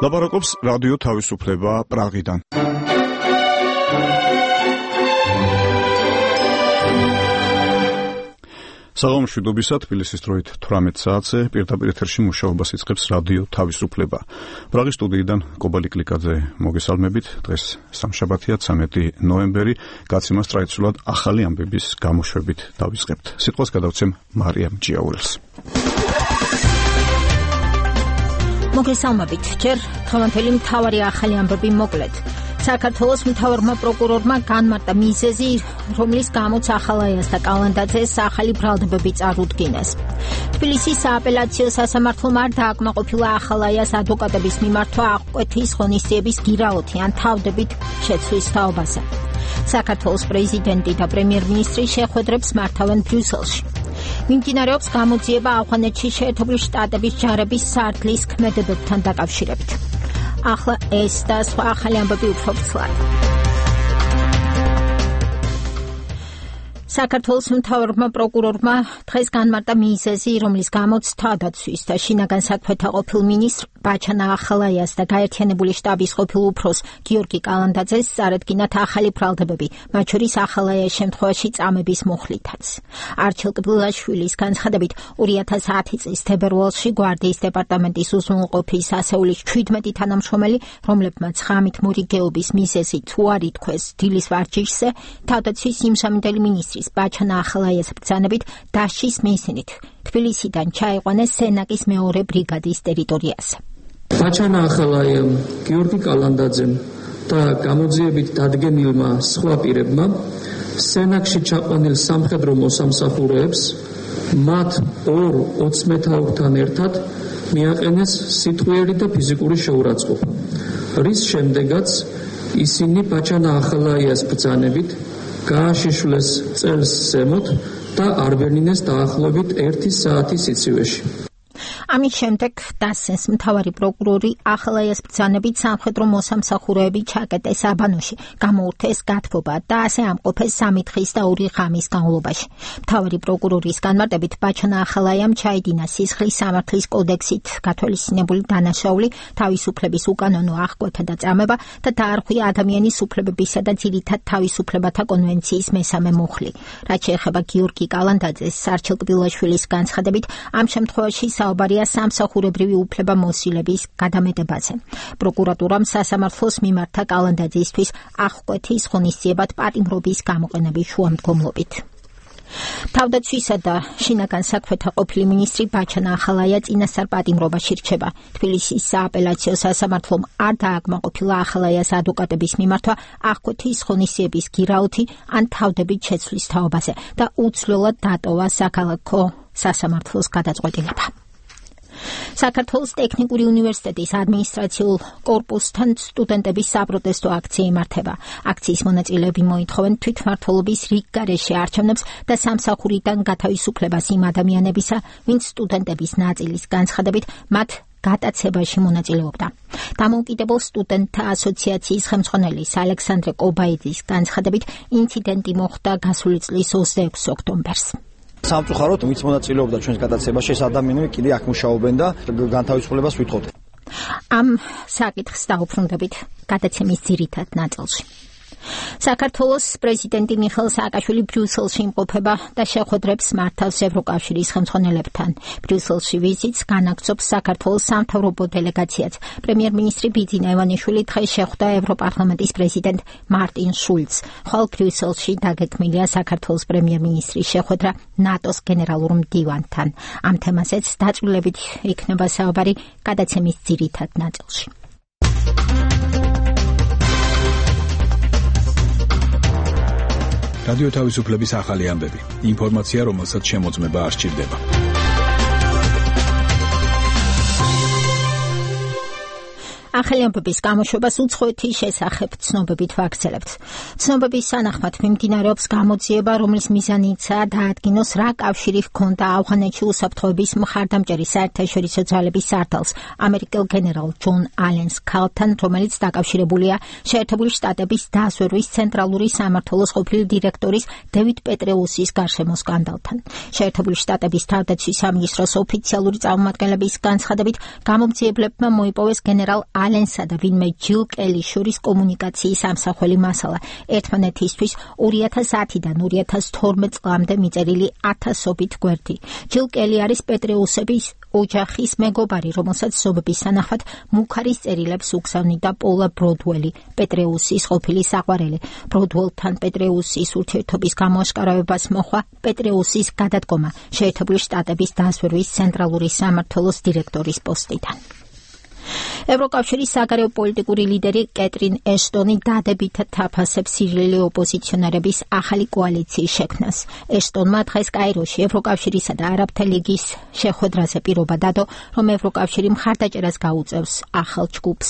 ლაპარაკობს რადიო თავისუფლება პრაღიდან. საღამომშვიდობისა, თბილისის დროით 18 საათზე პირდაპირ ეთერში მუშაობას იწყებს რადიო თავისუფლება. პრაღის სტუდიიდან კობალი კლიკაძე მოგესალმებით. დღეს სამშაბათია, 13 ნოემბერი, გაცემას ტრადიციულად ახალი ამბების გამოშვებით დავიწყებთ. სიტყვას გადავცემ მარიამ ჭიაურელს. მოგესალმებით. ჯერ დღევანდელი მთავარი ახალი ამბები მოკლედ. საქართველოს მთავარმა პროკურორმა განმარტა მიზეზი, რომლის გამოც ახალაიას და კალანდაძეს ახალი ბრალდებები წარუდგინეს. თბილისის სააპელაციო სასამართლომ არ დააკმაყოფილა ახალაიას ადვოკატების მიმართვა აღკვეთის ღონისძიების გირაოთი ან თავდებით შეცვლის თაობაზე. საქართველოს პრეზიდენტი და პრემიერ-მინისტრი შეხვედრებს მართავენ ბრიუსელში. მიმდინარეობს გამოძიება ავღანეთში შეერთებული შტატების ჯარების სარდლის ქმედებებთან დაკავშირებით. ახლა ეს და სხვა ახალი ამბები უფრო ცვლად. საქართველოს მთავარმა პროკურორმა დღეს განმარტა მიზეზი, რომლის გამოც თავდაცვის და შინაგან საქმეთა ყოფილ მინისტრ ბაჩანა ახალაიას და გაერთიანებული შტაბის ყოფილ უფროს გიორგი კალანდაძეს წარადგინათ ახალი ბრალდებები, მათ შორის ახალაიას შემთხვევაში წამების მუხლითაც. არჩილ კბილაშვილის განცხადებით 2010 წლის თებერვალში გვარდიის დეპარტამენტის უზრუნველყოფის ასეულის 17 თანამშრომელი, რომლებმაც ღამით მორიგეობის მიზეზი თუ არ ითქვეს დილის ვარჯიშზე, თავდაცვის იმსამინდელი მინისტრის ბაჩანა ახალაიას ბრძანებით დასჯის მიზნით თბილისიდან ჩაიყვანეს სენაკის მეორე ბრიგადის ტერიტორიაზე. ბაჩანა ახალაიამ, გიორგი კალანდაძემ და გამოძიებით დადგენილმა სხვა პირებმა სენაკში ჩაყვანილ სამხედრო მოსამსახურეებს მათ ორ 20 მეთაურთან ერთად მიაყენეს სიტყვიერი და ფიზიკური შეურაცხყოფა, რის შემდეგაც ისინი ბაჩანა ახალაიას ბრძანებით გააშიშვლეს წელს ზემოთ და არბენინეს დაახლოებით 1 საათის სიცივეში. ამის შემდეგ დასცენს მთავარი პროკურორი ახალაიას ბრძანებით სამხედრო მოსამსახურეები ჩაკეტეს აბანოში, გამოურთეს გათბობა და ასე ამყოფეს 3 დღის და 2 ღამის განმავლობაში. მთავარი პროკურორის განმარტებით ბაჩანა ახალაიამ ჩაიდინა სისხლის სამართლის კოდექსით გათვალისწინებული დანაშაული, თავისუფლების უკანონო აღკვეთა და წამება და დაარღვია ადამიანის უფლებებისა და ძირითად თავისუფლებათა კონვენციის მესამე მუხლი. რაც შეეხება გიორგი კალანდაძეს, არჩილ კბილაშვილის განცხადებით, ამ შემთხვევაში საუბარია სამსახურებრივი უფლება მოსილების გადამეტებაზე. პროკურატურამ სასამართლოს მიმართა კალანდაძისთვის აღკვეთის ღონისძიებად პატიმრობის გამოყენების შუამდგომლობით. თავდაცვისა და შინაგან საქმეთა ყოფილი მინისტრი ბაჩანა ახალაია წინასწარ პატიმრობაში რჩება. თბილისის სააპელაციო სასამართლომ არ დააკმაყოფილა ახალაიას ადვოკატების მიმართვა აღკვეთის ღონისძიების გირაოთი ან თავდებით შეცვლის თაობაზე და უცვლელად დატოვა საქალაქო სასამართლოს გადაწყვეტილება. საქართველოს ტექნიკური უნივერსიტეტის ადმინისტრაციულ კორპუსთან სტუდენტების საპროტესტო აქცია იმართება. აქციის მონაწილეები მოითხოვენ თვითმმართველობის რიგ გარეშე არჩევნებს და სამსახურიდან გათავისუფლებას იმ ადამიანებისა, ვინც სტუდენტების ნაწილის განცხადებით მათ გატაცებაში მონაწილეობდა. დამოუკიდებელ სტუდენტთა ასოციაციის ხელმძღვანელის ალექსანდრე კობაიძის განცხადებით ინციდენტი მოხდა გასული წლის 26 ოქტომბერს. სამწუხაროდ ვინც მონაწილეობდა ჩვენს გადაცემაში, ეს ადამიანები კიდე აქ მუშაობენ და განთავისუფლებას ვითხოვთ. ამ საკითხს დაუბრუნდებით გადაცემის ძირითად ნაწილში. საქართველოს პრეზიდენტი მიხეილ სააკაშვილი ბრიუსელში იმყოფება და შეხვედრებს მართავს ევროკავშირის ხელმძღვანელებთან. ბრიუსელში ვიზიტს განაგრძობს საქართველოს სამთავრობო დელეგაციაც. პრემიერ-მინისტრი ბიძინა ივანიშვილი დღეს შეხვდა ევროპარლამენტის პრეზიდენტ მარტინ შულცს. ხოლო ბრიუსელში დაგეგმილია საქართველოს პრემიერ-მინისტრის შეხვედრა ნატოს გენერალურ მდივანთან. ამ თემაზეც დაწვრილებით იქნება საუბარი გადაცემის ძირითად ნაწილში. რადიო თავისუფლების ახალი ამბები. ინფორმაცია, რომელსაც შემოწმება არ სჭირდება. ახალი ამბების გამოშვებას უცხოეთის შესახებ ცნობებით ვაგრძელებთ. ცნობების თანახმად მიმდინარეობს გამოძიება, რომლის მიზანიცაა დაადგინოს რა კავშირი ჰქონდა ავღანეთში უსაფრთხოების მხარდამჭერი საერთაშორისო ძალების სარდალს ამერიკელ გენერალ ჯონ ალენს ქალთან, რომელიც დაკავშირებულია შეერთებული შტატების დაზვერვის ცენტრალური სამმართველოს ყოფილი დირექტორის დევიდ პეტრეუსის გარშემო სკანდალთან. შეერთებული შტატების თავდაცვის სამინისტროს ოფიციალური წარმომადგენლების განცხადებით, გამომძიებლებმა მოიპოვეს გენერალ ალენსა და ვინმე ჯილ კელის შორის კომუნიკაციის ამსახველი მასალა. ერთმანეთისთვის 2010-დან 2012 წლამდე მიწერილი 1000-ობით გვერდი. ჯილ კელი არის პეტრეუსების ოჯახის მეგობარი, რომელსაც ზომების სანახავად მუქარის წერილებს უგზავნიდა პოლა ბროდველი, პეტრეუსის ყოფილი საყვარელი. ბროდველთან პეტრეუსის ურთიერთობის გამოაშკარავებას მოხდა პეტრეუსის გადადგომა შეერთებული შტატების დაზვერვის ცენტრალური სამმართველოს დირექტორის პოსტიდან. ევროკავშირის საგარეო პოლიტიკური ლიდერი კეტრინ ეშტონი დადებითად თაფასებს სირიელი ოპოზიციონერების ახალი კოალიციის შექმნას. ეშტონმა დღეს კაიროში ევროკავშირისა და არაბთა ლიგის შეხვედრაზე პირობა დადო, რომ ევროკავშირი მხარდაჭერას გაუწევს ახალ ჯგუფს.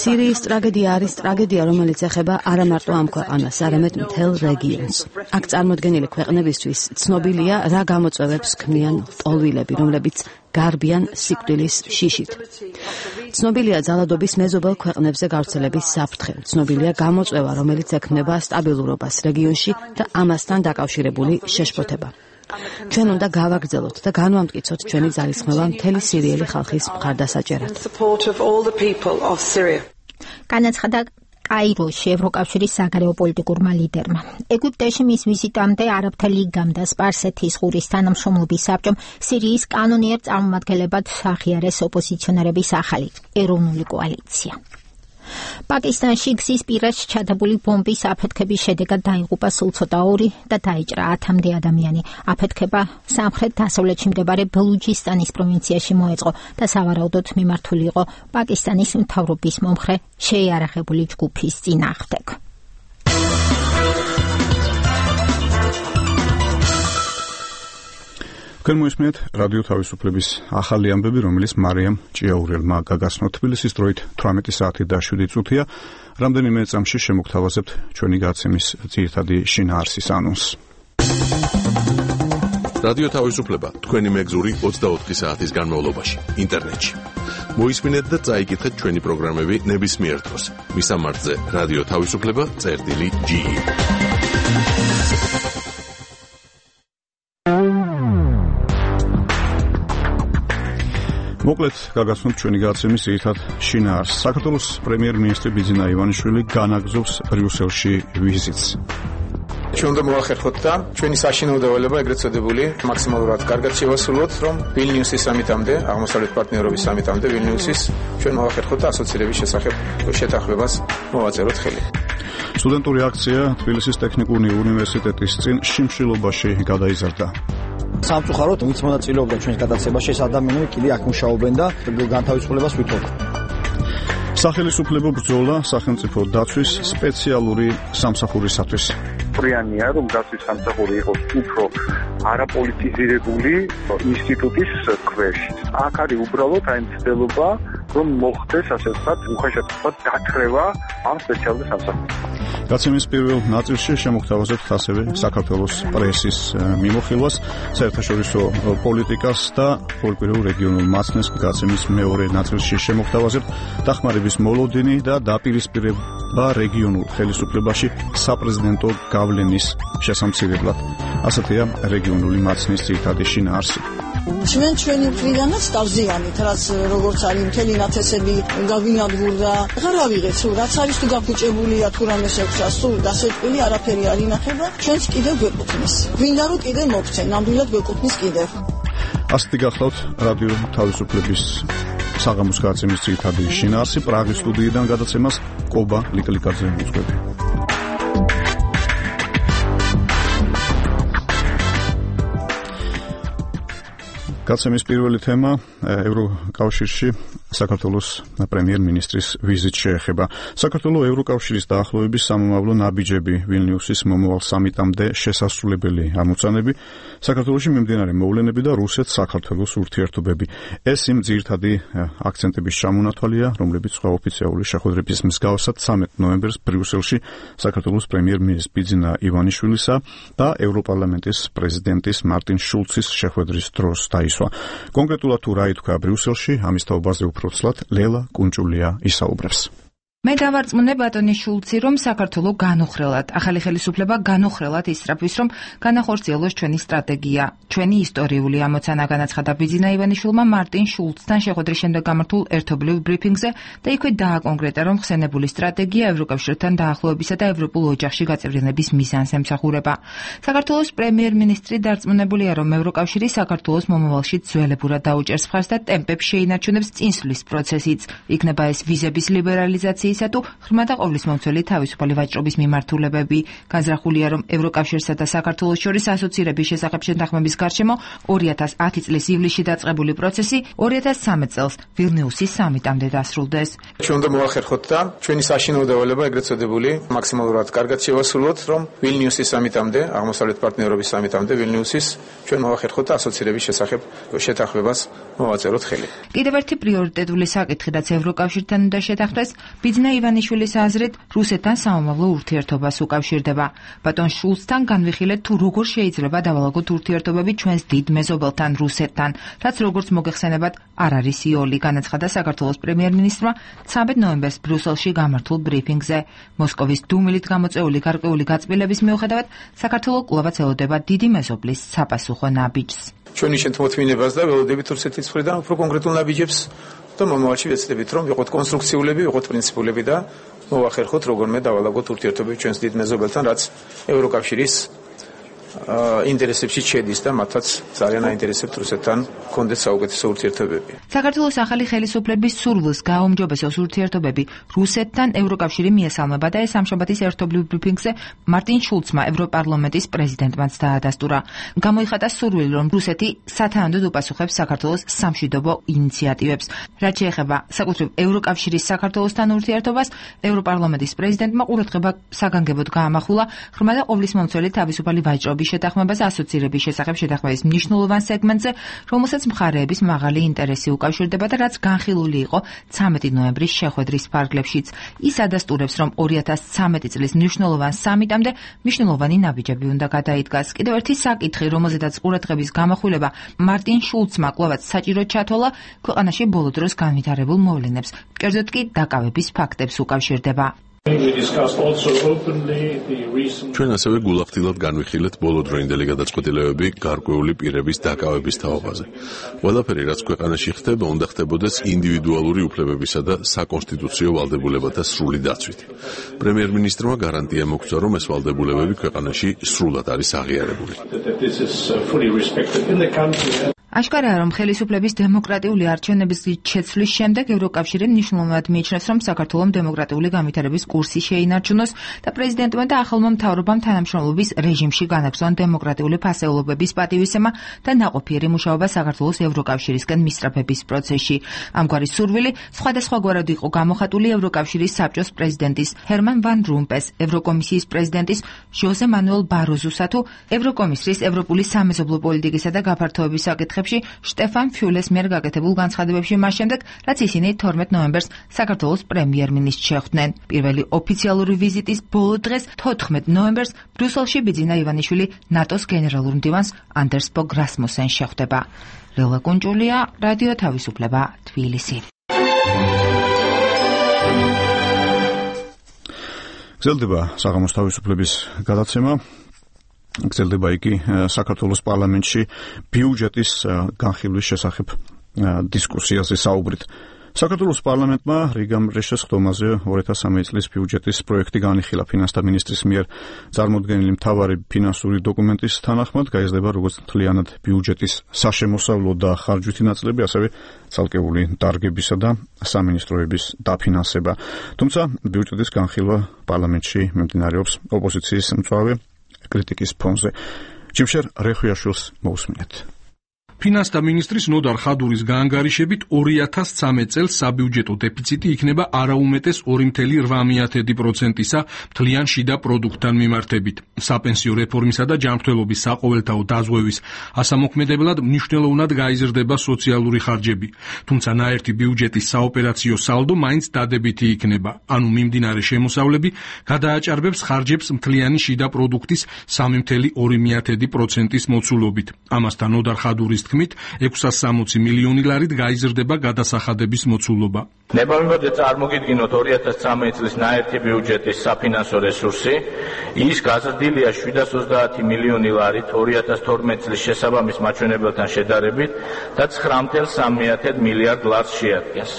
სირიის ტრაგედია არის ტრაგედია, რომელიც ეხება არა მარტო ამ ქვეყანას, არამედ მთელ რეგიონს. აქ წარმოდგენილი ქვეყნებისთვის ცნობილია, რა გამოწვევებს ქმნიან ლტოლვილები, რომლებიც გარბიან სიკვდილის შიშით. ცნობილია ძალადობის მეზობელ ქვეყნებზე გავრცელების საფრთხე. ცნობილია გამოწვევა, რომელიც ექმნება სტაბილურობას რეგიონში და ამასთან დაკავშირებული შეშფოთება. ჩვენ უნდა გავაგრძელოთ და განვამტკიცოთ ჩვენი ძალისხმევა მთელი სირიელი ხალხის მხარდასაჭერად. განაცხადა კაიროში ევროკავშირის საგარეო პოლიტიკურმა ლიდერმა. ეგვიპტეში მის ვიზიტამდე არაბთა ლიგამ და სპარსეთის ყურის თანამშრომლობის საბჭომ სირიის კანონიერ წარმომადგენლებად აღიარეს ოპოზიციონერების ახალი ეროვნული კოალიცია. პაკისტანში გზის პირას ჩადებული ბომბის აფეთქების შედეგად დაიღუპა სულ ცოტა 2 და დაიჭრა 10-მდე ადამიანი. აფეთქება სამხრეთ-დასავლეთში მდებარე ბელუჯისტანის პროვინციაში მოეწყო და სავარაუდოდ მიმართული იყო პაკისტანის მთავრობის მომხრე შეიარაღებული ჯგუფის წინააღმდეგ. გემოისმენთ რადიო თავისუფლების ახალი ამბები, რომელიც მარიამ ჭიაურელმა გაგაცნო თბილისის დროით 18 საათი და 7 წუთია. რამდენიმე წამში შემოგთავაზებთ ჩვენი გადაცემის ძირითადი შინაარსის ანონსს. რადიო თავისუფლება თქვენი მეგზური 24 საათის განმავლობაში ინტერნეტში. მოისმინეთ და წაიკითხეთ ჩვენი პროგრამები ნებისმიერ დროს. მისამართზე რადიო თავისუფლება.ge. მოკლედ გაგაცნობთ ჩვენი გადაცემის ერთად შინაარსს. საქართველოს პრემიერ-მინისტრი ბიძინა ივანიშვილი განაგზობს ბრიუსელში ვიზიტს. ჩვენ უნდა მოახერხოთ და ჩვენი საშინაო დავალება ეგრეთ წოდებული მაქსიმალურად კარგად შევასრულოთ, რომ ვილნიუსის სამიტამდე, აღმოსავლეთ პარტნიორობის სამიტამდე ვილნიუსის ჩვენ მოახერხოთ და ასოცირების შესახებ შეთანხმებას მოვაწეროთ ხელი. სტუდენტური აქცია თბილისის ტექნიკური უნივერსიტეტის წინ შიმშილობაში გადაიზარდა. სამწუხაროდ ვინც მონაწილეობდა ჩვენს გადაცემაში, ეს ადამიანები კიდე აქ მუშაობენ და განთავისუფლებას ვითხოვთ. სახელისუფლებო ბრძოლა სახელმწიფო დაცვის სპეციალური სამსახურისათვის. პრიანია, რომ დაცვის სამსახური იყოს უფრო არაპოლიტიზირებული ინსტიტუტის ქვეშ. აქ არის უბრალოდ აი მცდელობა, რომ მოხდეს ასე ვთქვათ, უხეშად დათრევა ამ სპეციალური სამსახურის. გაცემის პირველ ნაწილში შემოგთავაზებთ ასევე საქართველოს პრესის მიმოხილვას, საერთაშორისო პოლიტიკას და პოლიტიკურ რეგიონულ მაცნეს. გაცემის მეორე ნაწილში შემოგთავაზებთ დახმარების მოლოდინი და დაპირისპირება რეგიონულ ხელისუფლებაში საპრეზიდენტო გავლენის შესამცირებლად. ასეთია რეგიონული მაცნის ძირითადი შინაარსი. ჩვენი მხრიდანაც დავზიანით, რაც როგორც არის მთელი ნათესები გავინადგურდა. აღარ ავიღეთ, რაც არის თუ გაფუჭებულია თუ რამე შეგვსა, სულ დასეტყვილი არაფერი არ ინახება. ჩვენც კიდევ გვეკუთვნის. გვინდა რომ კიდევ მოგცენ, ნამდვილად გვეკუთვნის კიდევ. ასეთი გახლავთ რადიო თავისუფლების საღამოს გადაცემის ძირითადი შინაარსი. პრაღის სტუდიიდან გადაცემას კობა ლიკლიკაძე უძღვები. გაცემის პირველი თემა ევროკავშირში საქართველოს პრემიერ-მინისტრის ვიზიტი შეეხება. საქართველოს ევროკავშირის დაახლოების სამომავლო ნაბიჯები ვილნიუსის მომავალ სამიტამდე შესასრულებელი ამოცანები, საქართველოში მიმდინარე მოვლენები და რუსეთ-საქართველოს ურთიერთობები. ეს იმ ძირითადი აქცენტების ჩამონათვალია, რომლებიც სხვა ოფიციალური შეხვედრების მსგავსად 13 ნოემბერს ბრიუსელში საქართველოს პრემიერ-მინისტრის ბიძინა ივანიშვილისა და ევროპარლამენტის პრეზიდენტის მარტინ შულცის შეხვედრის დროს დაისვა. კონკრეტულად თუ რა ითქვა ბრიუსელში, ამის თაობაზე უფრო ცლად ლელა კუნჭულია ისაუბრებს. მე დავარწმუნე ბატონი შულცი, რომ საქართველო განუხრელად, ახალი ხელისუფლება განუხრელად ისწრაფვის, რომ განახორციელოს ჩვენი სტრატეგია. ჩვენი ისტორიული ამოცანა განაცხადა ბიძინა ივანიშვილმა მარტინ შულცთან შეხვედრის შემდეგ გამართულ ერთობლივ ბრიფინგზე და იქვე დააკონკრეტა, რომ ხსენებული სტრატეგია ევროკავშირთან დაახლოებისა და ევროპულ ოჯახში გაწევრიანების მიზანს ემსახურება. საქართველოს პრემიერ-მინისტრი დარწმუნებულია, რომ ევროკავშირი საქართველოს მომავალში ძველებურად დაუჭერს მხარს და ტემპებს შეინარჩუნებს წინსვლის პროცესიც. იქნება ეს ვიზების ლიბერალიზაციის თუ ღრმა და ყოვლისმომცველი თავისუფალი ვაჭრობის მიმართულებები. განზრახულია, რომ ევროკავშირსა და საქართველოს შორის ასოცირების შესახებ შეთანხმების გარშემო 2010 წლის ივლისში დაწყებული პროცესი 2013 წელს ვილნიუსის სამიტამდე დასრულდეს. ჩვენ უნდა მოახერხოთ და ჩვენი საშინაო დავალება ეგრეთ წოდებული მაქსიმალურად კარგად შევასრულოთ, რომ ვილნიუსის სამიტამდე, აღმოსავლეთ პარტნიორობის სამიტამდე ვილნიუსის ჩვენ მოახერხოთ და ასოცირების შესახებ შეთანხმებას მოვაწეროთ ხელი. კიდევ ერთი პრიორიტეტული საკითხი, რაც ევროკავშირთან უნდა შეთანხმდეს, ბიძინა ივანიშვილის აზრით, რუსეთთან სამომავლო ურთიერთობას უკავშირდება. ბატონ შულცთან განვიხილეთ, თუ როგორ შეიძლება დავალაგოთ ურთიერთობები ჩვენს დიდ მეზობელთან რუსეთთან, რაც როგორც მოგეხსენებათ, არ არის იოლი, განაცხადა საქართველოს პრემიერ-მინისტრმა 13 ნოემბერს ბრიუსელში გამართულ ბრიფინგზე. მოსკოვის დუმილით გამოწვეული გარკვეული გაწმილების მიუხედავად, საქართველო კვლავაც ელოდება დიდი მეზობლის საპასუხო ნაბიჯს. ჩვენი შეთანხმებას და ველოდებით რუსეთის მხრიდან უფრო კონკრეტულ ნაბიჯებს და მომავალში ვეცდებით, რომ ვიყოთ კონსტრუქციულები, ვიყოთ პრინციპულები და მოვახერხოთ როგორმე დავალაგოთ ურთიერთობები ჩვენს დიდ მეზობელთან, რაც ევროკავშირის ინტერესებში შედის და მათაც ძალიან აინტერესებთ რუსეთთან კონდეთ საუკეთესო ურთიერთობები. საქართველოს ახალი ხელისუფლების სურვილს გააუმჯობესოს ურთიერთობები რუსეთთან ევროკავშირი მიესალმება და ეს სამშაბათის ერთობლივ ბრიფინგზე მარტინ შულცმა ევროპარლამენტის პრეზიდენტმაც დაადასტურა. გამოიხატა სურვილი, რომ რუსეთი სათანადოდ უპასუხებს საქართველოს სამშვიდობო ინიციატივებს. რაც შეეხება საკუთრივ ევროკავშირის საქართველოსთან ურთიერთობას, ევროპარლამენტის პრეზიდენტმა ყურადღება საგანგებოდ გაამახვილა ღრმა და ყოვლისმომცველი თავისუფალი ვაჭრობის შეთანხმებას ასოცირების შესახებ შეთანხმების მნიშვნელოვან სეგმენტზე, რომელსაც მხარეების მაღალი ინტერესი უკავშირდება და რაც განხილული იყო 13 ნოემბრის შეხვედრის ფარგლებშიც. ის ადასტურებს, რომ 2013 წლის მნიშვნელოვან სამიტამდე მნიშვნელოვანი ნაბიჯები უნდა გადაიდგას. კიდევ ერთი საკითხი, რომელზედაც ყურადღების გამახვილება მარტინ შულცმა კვლავაც საჭიროდ ჩათვალა, ქვეყანაში ბოლო დროს განვითარებულ მოვლენებს, კერძოდ კი დაკავების ფაქტებს უკავშირდება. ჩვენ ასევე გულახდილად განვიხილეთ ბოლოდროინდელი გადაწყვეტილებები გარკვეული პირების დაკავების თაობაზე. ყველაფერი, რაც ქვეყანაში ხდება, უნდა ხდებოდეს ინდივიდუალური უფლებებისა და საკონსტიტუციო ვალდებულებათა სრული დაცვით. პრემიერ-მინისტრმა გარანტია მოგცა, რომ ეს ვალდებულებები ქვეყანაში სრულად არის აღიარებული. აშკარაა, რომ ხელისუფლების დემოკრატიული არჩევნების შეცვლის შემდეგ ევროკავშირი მნიშვნელოვნად მიიჩნევს, რომ საქართველოს დემოკრატიული განვითარების კურსი შეინარჩუნოს და პრეზიდენტმა და ახალმა მთავრობამ თანამშრომლობის რეჟიმში განაგრძონ დემოკრატიული ფასეულობების პატივისცემა და ნაყოფიერი მუშაობა საქართველოს ევროკავშირისკენ მისწრაფების პროცესში. ამგვარი სურვილი სხვადასხვაგვარად იყო გამოხატული ევროკავშირის საბჭოს პრეზიდენტის ჰერმან ვან რომპეს, ევროკომისიის პრეზიდენტის ჟოზე მანუელ ბაროზუსა თუ ევროკომისრის ევროპული სამეზობლო პოლიტიკისა და გაფართოების საკითხებში შტეფან ფიულეს მიერ გაკეთებულ განცხადებებში მას შემდეგ, რაც ისინი 12 ნოემბერს საქართველოს პრემიერ-მინისტრს შეხვდნენ. პირველი ოფიციალური ვიზიტის ბოლო დღეს 14 ნოემბერს ბრიუსელში ბიძინა ივანიშვილი ნატოს გენერალურ მდივანს ანდერს ბოგ რასმუსენს შეხვდება. ლელა კუნჭულია, რადიო თავისუფლება, თბილისი. გრძელდება საღამოს თავისუფლების გადაცემა. გრძელდება იგი საქართველოს პარლამენტში ბიუჯეტის განხილვის შესახებ დისკუსიაზე საუბრით. საქართველოს პარლამენტმა რიგამ რეშეს ხდომაზე 2013 წლის ბიუჯეტის პროექტი განიხილა. ფინანსთა მინისტრის მიერ წარმოდგენილი მთავარი ფინანსური დოკუმენტის თანახმად გაიზრდება როგორც მთლიანად ბიუჯეტის საშემოსავლო და ხარჯვითი ნაწილები, ასევე ცალკეული დარგებისა და სამინისტროების დაფინანსება. თუმცა ბიუჯეტის განხილვა პარლამენტში მიმდინარეობს ოპოზიციის მწვავე კრიტიკის ფონზე. ჯიმშერ რეხვიაშვილს მოусმინეთ. ფინანსთა მინისტრის ნოდარ ხადურის გაანგარიშებით 2013 წელს საბიუჯეტო დეფიციტი იქნება არაუმეტეს 2.8%-ისა მთლიან შიდა პროდუქტთან მიმართებით. საპენსიო რეფორმისა და ჯანმრთელობის საყოველთაო დაზღვევის ასამოქმედებლად მნიშვნელოვნად გაიზრდება სოციალური ხარჯები. თუმცა ნაერთი ბიუჯეტის საოპერაციო სალდო მაინც დადებითი იქნება. ანუ მიმდინარე შემოსავლები გადააჭარბებს ხარჯებს მთლიანი შიდა პროდუქტის 3.2%-ის მოცულობით. ამასთან ნოდარ ხადურის თქმით, 660 მილიონი ლარით გაიზრდება გადასახადების მოცულობა. ნებავებად წარმოგიდგინოთ 2013 წლის ნაერთი ბიუჯეტის საფინანსო რესურსი, ის გაზრდილია 730 მილიონი ლარით 2012 წლის შესაბამის მაჩვენებელთან შედარებით და 9.3 მილიარდ ლარს შეადგენს.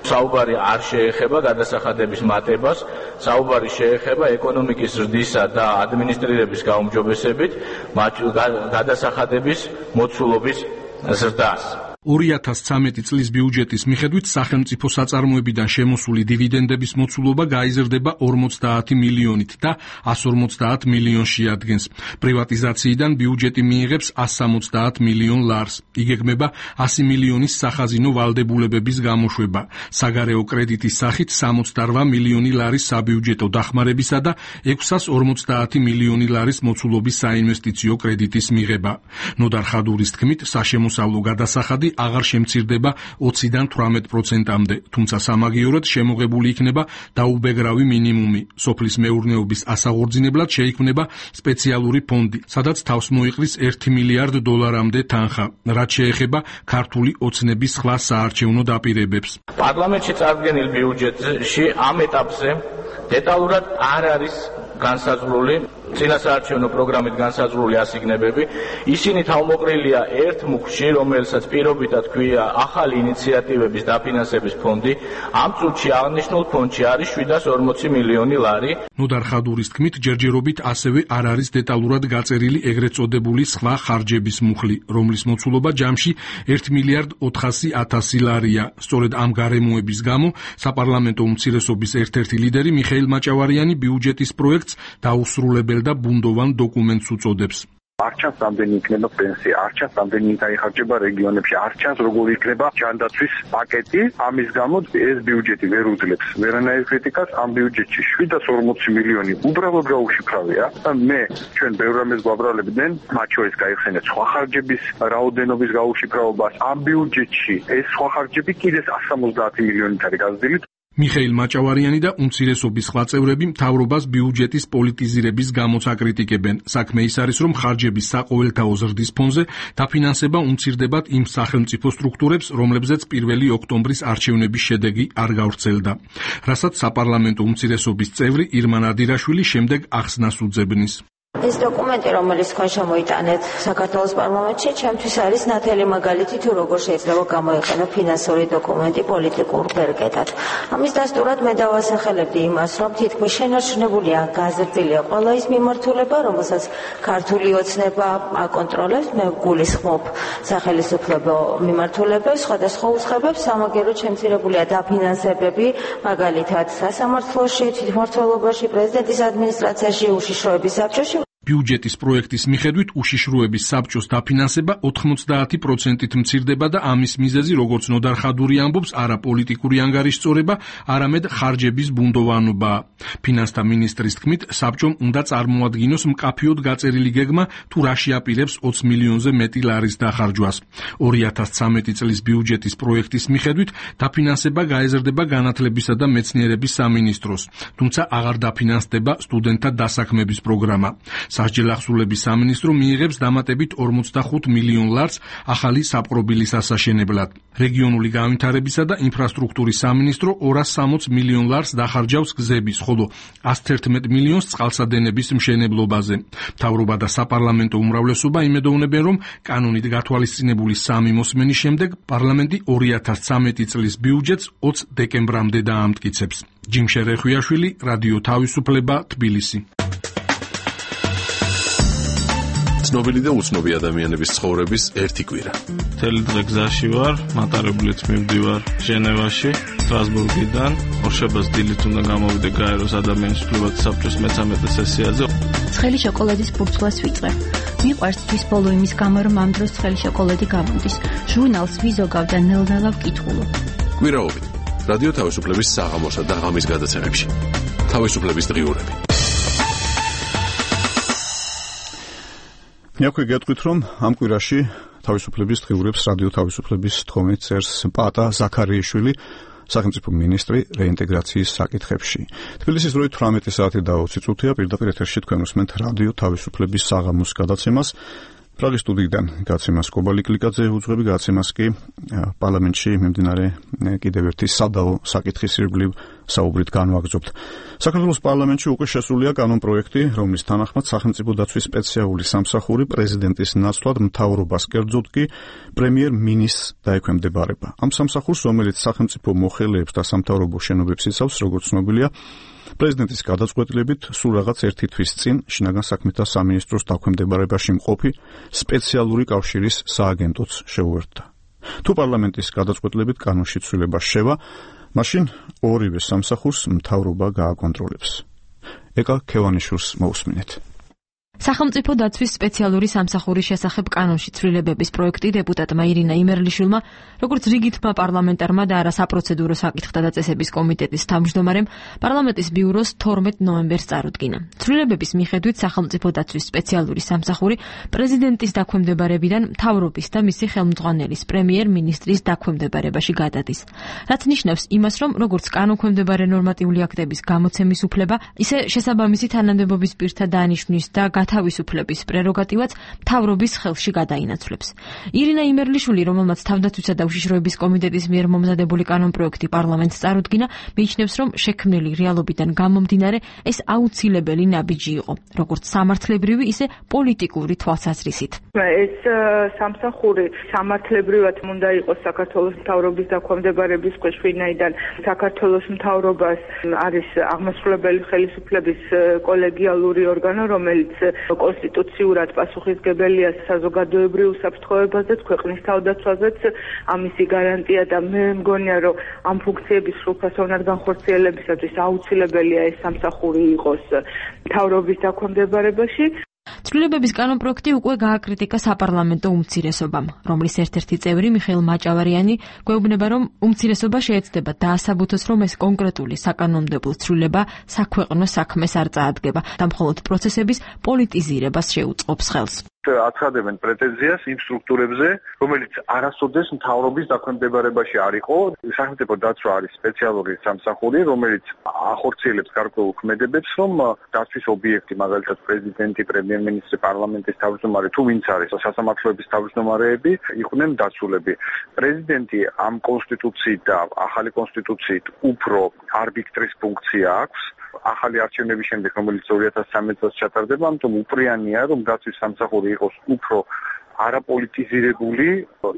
საუბარი არ შეეხება გადასახადების მატებას, საუბარი შეეხება ეკონომიკის ზრდისა და ადმინისტრირების გაუმჯობესებით გადასახადების მოცულობის ზრდას. 2013 წლის ბიუჯეტის მიხედვით სახელმწიფო საწარმოებიდან შემოსული დივიდენდების მოცულობა გაიზრდება 50 მილიონით და 150 მილიონს შეადგენს. პრივატიზაციიდან ბიუჯეტი მიიღებს 170 მილიონ ლარს. იგეგმება 100 მილიონის სახაზინო ვალდებულებების გამოშვება. საგარეო კრედიტის სახით 68 მილიონი ლარის საბიუჯეტო დახმარებისა და 650 მილიონი ლარის მოცულობის საინვესტიციო კრედიტის მიღება. ნოდარ ხადურის თქმით, საშემოსავლო გადასახადი აღარ შემცირდება 20-დან 18%-მდე, თუმცა სამაგიეროდ შემოღებული იქნება დაუბეგრავი მინიმუმი. სოფლის მეურნეობის ასაღორძინებლად შეიქმნება სპეციალური ფონდი, სადაც თავს მოიყრის 1 მილიარდ დოლარამდე თანხა, რაც შეეხება ქართული ოცნების სხვა საარჩევნო დაპირებებს. პარლამენტში წარდგენილ ბიუჯეტში ამ ეტაპზე დეტალურად არ არის განსაზღვრული წინასაარჩევნო პროგრამით განსაზღვრული ასიგნებები, ისინი თავმოყრილია ერთ მუხში, რომელსაც პირობითად ქვია ახალი ინიციატივების დაფინანსების ფონდი. ამ წუთში აღნიშნულ ფონდში არის 740 მილიონი ლარი. ნოდარ ხადურის თქმით, ჯერჯერობით ასევე არ არის დეტალურად გაწერილი ეგრეთ წოდებული სხვა ხარჯების მუხლი, რომლის მოცულობა ჯამში 1 მილიარდ 400.000 ლარია. სწორედ ამ გარემოების გამო საპარლამენტო უმცირესობის ერთ-ერთი ლიდერი მიხეილ მაჭავარიანი ბიუჯეტის პროექტს დაუსრულებელ და ბუნდოვან დოკუმენტს უწოდებს. არ ჩანს რამდენი იქნება პენსია, არ ჩანს რამდენი დაიხარჯება რეგიონებში, არ ჩანს როგორი იქნება ჯანდაცვის პაკეტი. ამის გამო ეს ბიუჯეტი ვერ უძლებს ვერანაირ კრიტიკას. ამ ბიუჯეტში 740 მილიონი უბრალოდ გაუშიფრავია. მე ჩვენ ბევრ რამეს გვაბრალებდნენ, მათ შორის გაიხსენეთ სხვა ხარჯების რაოდენობის გაუშიფრაობას. ამ ბიუჯეტში ეს სხვა ხარჯები კიდევ 170 მილიონით არის გაზრდილი. მიხეილ მაჭავარიანი და უმცირესობის სხვა წევრები მთავრობას ბიუჯეტის პოლიტიზირების გამოც აკრიტიკებენ. საქმე ის არის, რომ ხარჯების საყოველთაო ზრდის ფონზე დაფინანსება უმცირდებათ იმ სახელმწიფო სტრუქტურებს, რომლებზეც 1 ოქტომბრის არჩევნების შედეგი არ გავრცელდა. რასაც საპარლამენტო უმცირესობის წევრი ირმა ნადირაშვილი შემდეგ ახსნას უძებნის. ეს დოკუმენტი, რომელიც თქვენ შემოიტანეთ საქართველოს პარლამენტში, ჩემთვის არის ნათელი მაგალითი თუ როგორ შეიძლება გამოიყენო ფინანსური დოკუმენტი პოლიტიკურ ბერკეტად. ამის დასტურად მე დავასახელებდი იმას, რომ თითქმის შენარჩუნებულია, გაზრდილია ყველა ის მიმართულება, რომელსაც ქართული ოცნება აკონტროლებს. მე გულისხმობ სახელმწიფო მიმართულებებს, სხვადასხვა უცხოებებს, სამაგიეროდ შემცირებულია დაფინანსებები, მაგალითად სასამართლოში, თვითმმართველობაში, პრეზიდენტის ადმინისტრაციაში, უშიშროების საბჭოში. ბიუჯეტის პროექტის მიხედვით უშიშროების საბჭოს დაფინანსება 90%-ით მცირდება და ამის მიზეზი, როგორც ნოდარ ხადური ამბობს, არა პოლიტიკური ანგარიშწორება, არამედ ხარჯების ბუნდოვანობაა. ფინანსთა მინისტრის თქმით, საბჭომ უნდა წარმოადგინოს მკაფიოდ გაწერილი გეგმა, თუ რა შეაპირებს 20 მილიონზე მეტი ლარის დახარჯვას. 2013 წლის ბიუჯეტის პროექტის მიხედვით დაფინანსება გაეზრდება განათლებისა და მეცნიერების სამინისტროს, თუმცა აღარ დაფინანსდება სტუდენტთა დასაქმების პროგრამა. სასჯელ ახსულების სამინისტრო მიიღებს დამატებით 45 მილიონ ლარს ახალი საპყრობილის ასაშენებლად. რეგიონული განვითარებისა და ინფრასტრუქტურის სამინისტრო 260 მილიონ ლარს დახარჯავს გზების, ხოლო 111 მილიონს წყალსადენების მშენებლობაზე. მთავრობა და საპარლამენტო უმრავლესობა იმედოვნებენ, რომ კანონით გათვალისწინებული 3 მოსმენის შემდეგ პარლამენტი 2013 წლის ბიუჯეტს 20 დეკემბრამდე დაამტკიცებს. ჯიმშე რეხვიაშვილი, რადიო თავისუფლება, თბილისი. ცნობილი და უცნობი ადამიანების ცხოვრების ერთი კვირა. მთელი დღე გზაში ვარ, მატარებლით მივდივარ ჟენევაში, სტრასბურგიდან. ორშაბათს დილით უნდა გამოვიდე გაეროს ადამიანის უფლებათა საბჭოს მე-13 სესიაზე. ცხელი შოკოლადის ბურცვლას ვიწყებ. მიყვარს თვის ბოლო იმის გამო, რომ ამ დროს ცხელი შოკოლადი გამოდის. ჟურნალს ვიზოგავ და ნელ-ნელა ვკითხულობ. კვირაობით რადიო თავისუფლების საღამოსა და ღამის გადაცემებში. თავისუფლების დღიურები. მეოქვე გეტყვით, რომ ამ კვირაში თავისუფლების დღიურებს რადიო თავისუფლების თხოვნით წერს პატა ზაქარიაშვილი, სახელმწიფო მინისტრი რეინტეგრაციის საკითხებში. თბილისის დროით 18 საათი და 20 წუთია, პირდაპირ ეთერში თქვენ უსმენთ რადიო თავისუფლების საღამოს გადაცემას. პრაღის სტუდიიდან გაცემას კობალიკლიკაძე უძღვები, გაცემას კი პარლამენტში მიმდინარე კიდევ ერთი სადავო საკითხის ირგვლივ საუბრით განვაგრძობთ. საქართველოს პარლამენტში უკვე შესულია კანონპროექტი, რომლის თანახმად სახელმწიფო დაცვის სპეციალური სამსახური პრეზიდენტის ნაცვლად მთავრობას კერძოდ კი პრემიერ-მინისტრს დაექვემდებარება. ამ სამსახურს, რომელიც სახელმწიფო მოხელეებს და სამთავრობო შენობებს იცავს, როგორც ცნობილია, პრეზიდენტის გადაწყვეტილებით სულ რაღაც ერთი თვის წინ შინაგან საქმეთა სამინისტროს დაქვემდებარებაში მყოფი სპეციალური კავშირის სააგენტოც შეუერთდა. თუ პარლამენტის გადაწყვეტილებით კანონში ცვლილება შევა, მაშინ ორივე სამსახურს მთავრობა გააკონტროლებს. ეკა ქევანიშვილს მოусმინეთ. სახელმწიფო დაცვის სპეციალური სამსახურის შესახებ კანონში ცვლილებების პროექტი დეპუტატმა ირინა იმერლიშვილმა, როგორც რიგითმა პარლამენტარმა და არა საპროცედურო საკითხთა დაწესების კომიტეტის თავმჯდომარემ, პარლამენტის ბიუროს 12 ნოემბერს წარუდგინა. ცვლილებების მიხედვით სახელმწიფო დაცვის სპეციალური სამსახური პრეზიდენტის დაქვემდებარებიდან მთავრობის და მისი ხელმძღვანელის პრემიერ-მინისტრის დაქვემდებარებაში გადადის. რაც ნიშნავს იმას, რომ როგორც კანონქვემდებარე ნორმატიული აქტების გამოცემის უფლება, ისე შესაბამისი თანამდებობის პირთა დანიშვნის და თავისუფლების პრეროგატივაც მთავრობის ხელში გადაინაცვლებს. ირინა იმერლიშვილი, რომელმაც თავდაცვისა და უშიშროების კომიტეტის მიერ მომზადებული კანონპროექტი პარლამენტს წარუდგინა, მიიჩნევს, რომ შექმნილი რეალობიდან გამომდინარე ეს აუცილებელი ნაბიჯი იყო, როგორც სამართლებრივი, ისე პოლიტიკური თვალსაზრისით. ეს სამსახური სამართლებრივად უნდა იყოს საქართველოს მთავრობის დაქვემდებარების ქვეშ, ვინაიდან საქართველოს მთავრობას არის აღმასრულებელი ხელისუფლების კოლეგიალური ორგანო, რომელიც კონსტიტუციურად პასუხისმგებელია საზოგადოებრივ უსაფრთხოებაზეც, ქვეყნის თავდაცვაზეც, ამისი გარანტია და მე მგონია, რომ ამ ფუნქციების სრულფასოვნად განხორციელებისათვის აუცილებელია ეს სამსახური იყოს მთავრობის დაქვემდებარებაში. ცვლილებების კანონპროექტი უკვე გააკრიტიკა საპარლამენტო უმცირესობამ, რომლის ერთ-ერთი წევრი მიხეილ მაჭავარიანი გვეუბნება, რომ უმცირესობა შეეცდება დაასაბუთოს, რომ ეს კონკრეტული საკანონმდებლო ცვლილება საქვეყნო საქმეს არ წაადგება და მხოლოდ პროცესების პოლიტიზირებას შეუწყობს ხელს. აცხადებენ პრეტენზიას იმ სტრუქტურებზე, რომელიც არასოდეს მთავრობის დაქვემდებარებაში არ იყო. სახელმწიფო დაცვა არის სპეციალური სამსახური, რომელიც ახორციელებს გარკვეულ ქმედებებს, რომ დაცვის ობიექტი, მაგალითად პრეზიდენტი, პრემიერ-მინისტრი, პარლამენტის თავმჯდომარე, თუ ვინც არის სასამართლოების თავმჯდომარეები, იყვნენ დაცულები. პრეზიდენტი ამ კონსტიტუციით და ახალი კონსტიტუციით უფრო არბიტრის ფუნქცია აქვს. ახალი არჩევნების შემდეგ, რომელიც 2013 წელს ჩატარდება, ამიტომ უპრიანია, რომ დაცვის სამსახური იყოს უფრო არაპოლიტიზირებული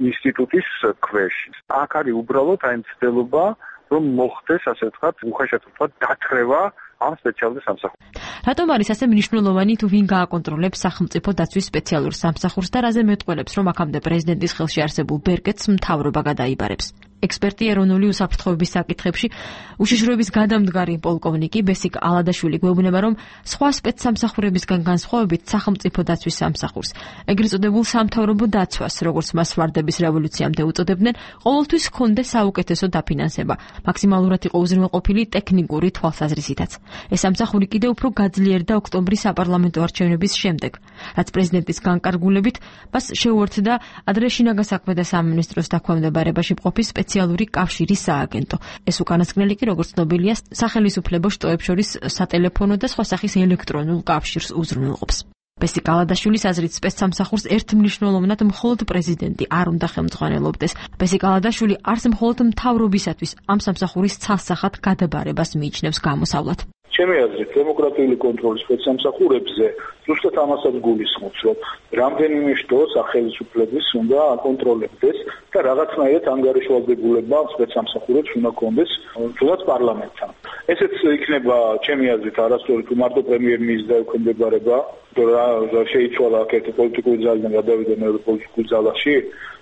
ინსტიტუტის ქვეშ. აქ არის უბრალოდ აი მცდელობა, რომ მოხდეს, ასე ვთქვათ, უხეშად ვთქვათ, დათრევა ამ სპეციალურ სამსახურს. რატომ არის ასე მნიშვნელოვანი, თუ ვინ გააკონტროლებს სახელმწიფო დაცვის სპეციალურ სამსახურს და რაზე მეტყველებს, რომ აქამდე პრეზიდენტის ხელში არსებულ ბერკეტს მთავრობა გადაიბარებს? ექსპერტი ეროვნული უსაფრთხოების საკითხებში უშიშროების გადამდგარი პოლკოვნიკი ბესიკ ალადაშვილი გვეუბნება, რომ სხვა სპეცსამსახურებისგან განსხვავებით სახელმწიფო დაცვის სამსახურს, ეგრეთ წოდებულ სამთავრობო დაცვას, როგორც მას ვარდების რევოლუციამდე უწოდებდნენ, ყოველთვის ჰქონდა საუკეთესო დაფინანსება, მაქსიმალურად იყო უზრუნველყოფილი ტექნიკური თვალსაზრისითაც. ეს სამსახური კიდევ უფრო გაძლიერდა ოქტომბრის საპარლამენტო არჩევნების შემდეგ, რაც პრეზიდენტის განკარგულებით მას შეუერთდა ადრე შინაგან საქმეთა სამინისტროს დაქვემდებარებაში მყოფი სპეციალური კავშირის სააგენტო. ეს უკანასკნელი კი, როგორც ცნობილია, სახელისუფლებო შტოებს შორის სატელეფონო და სხვა სახის ელექტრონულ კავშირს უზრუნველყოფს. ბესიკ ალადაშვილის აზრით, სპეცსამსახურს ერთმნიშვნელოვნად მხოლოდ პრეზიდენტი არ უნდა ხელმძღვანელობდეს. ბესიკ ალადაშვილი არც მხოლოდ მთავრობისათვის ამ სამსახურის ცალსახად გადაბარებას მიიჩნევს გამოსავლად. ჩემი აზრით, დემოკრატიული კონტროლის სპეცსამსახურებზე ზუსტად ამასაც გულისხმობს, რომ რამდენიმე შტო სახელმწიფოების უნდა აკონტროლებდეს და რაღაცნაირად ანგარიშვალდებულება სპეცსამსახურებს უნდა კონდეს თუნდაც პარლამენტთან. ესეც იქნება ჩემი აზრით არასწორი თუ მარტო პრემიერ-მინისტრის დაქვემდებარება, რა შეიცვალა აქეთ პოლიტიკური ძალიდან გადავიდა მეორე პოლიტიკურ ძალაში,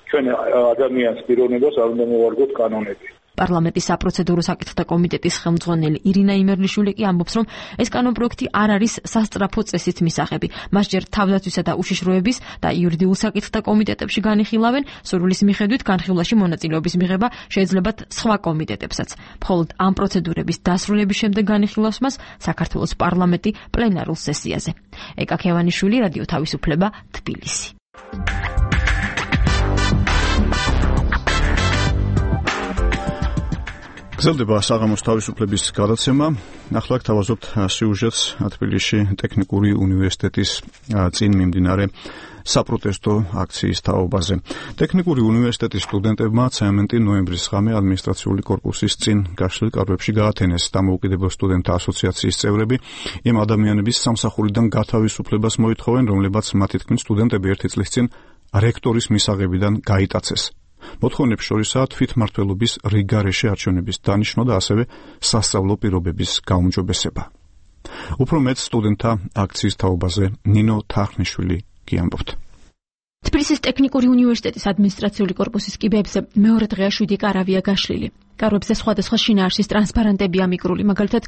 ჩვენ ადამიანს პიროვნებას არ უნდა მოვარგოთ კანონები. პარლამენტის საპროცედურო საკითხთა კომიტეტის ხელმძღვანელი ირინა იმერლიშვილი კი ამბობს, რომ ეს კანონპროექტი არ არის სასწრაფო წესით მისაღები. მას ჯერ თავდაცვისა და უშიშროების და იურიდიულ საკითხთა კომიტეტებში განიხილავენ, სურვილის მიხედვით განხილვაში მონაწილეობის მიღება შეიძლებათ სხვა კომიტეტებსაც. მხოლოდ ამ პროცედურების დასრულების შემდეგ განიხილავს მას საქართველოს პარლამენტი პლენარულ სესიაზე. ეკა ქევანიშვილი, რადიო თავისუფლება, თბილისი. გრძელდება საღამოს თავისუფლების გადაცემა. ახლა გთავაზობთ სიუჟეტს თბილისში ტექნიკური უნივერსიტეტის წინ მიმდინარე საპროტესტო აქციის თაობაზე. ტექნიკური უნივერსიტეტის სტუდენტებმა ცემენტი ნოემბრის ღამე ადმინისტრაციული კორპუსის წინ გაშლილ კარვებში გაათენეს. დამოუკიდებელ სტუდენტთა ასოციაციის წევრები იმ ადამიანების სამსახურიდან გათავისუფლებას მოითხოვენ, რომლებაც მათი თქმით სტუდენტები ერთი წლის წინ რექტორის მისაღებიდან გაიტაცეს. მოთხოვნებს შორისაა თვითმმართველობის რიგგარეშე არჩევნების დანიშვნა და ასევე სასწავლო პირობების გაუმჯობესება. უფრო მეტ სტუდენტთა აქციის თაობაზე ნინო თარხნიშვილი გიამბობთ. თბილისის ტექნიკური უნივერსიტეტის ადმინისტრაციული კორპუსის კიბეებზე მეორე დღეა 7 კარავია გაშლილი. კარვებზე სხვადასხვა შინაარსის ტრანსპარენტებია მიგრული, მაგალითად,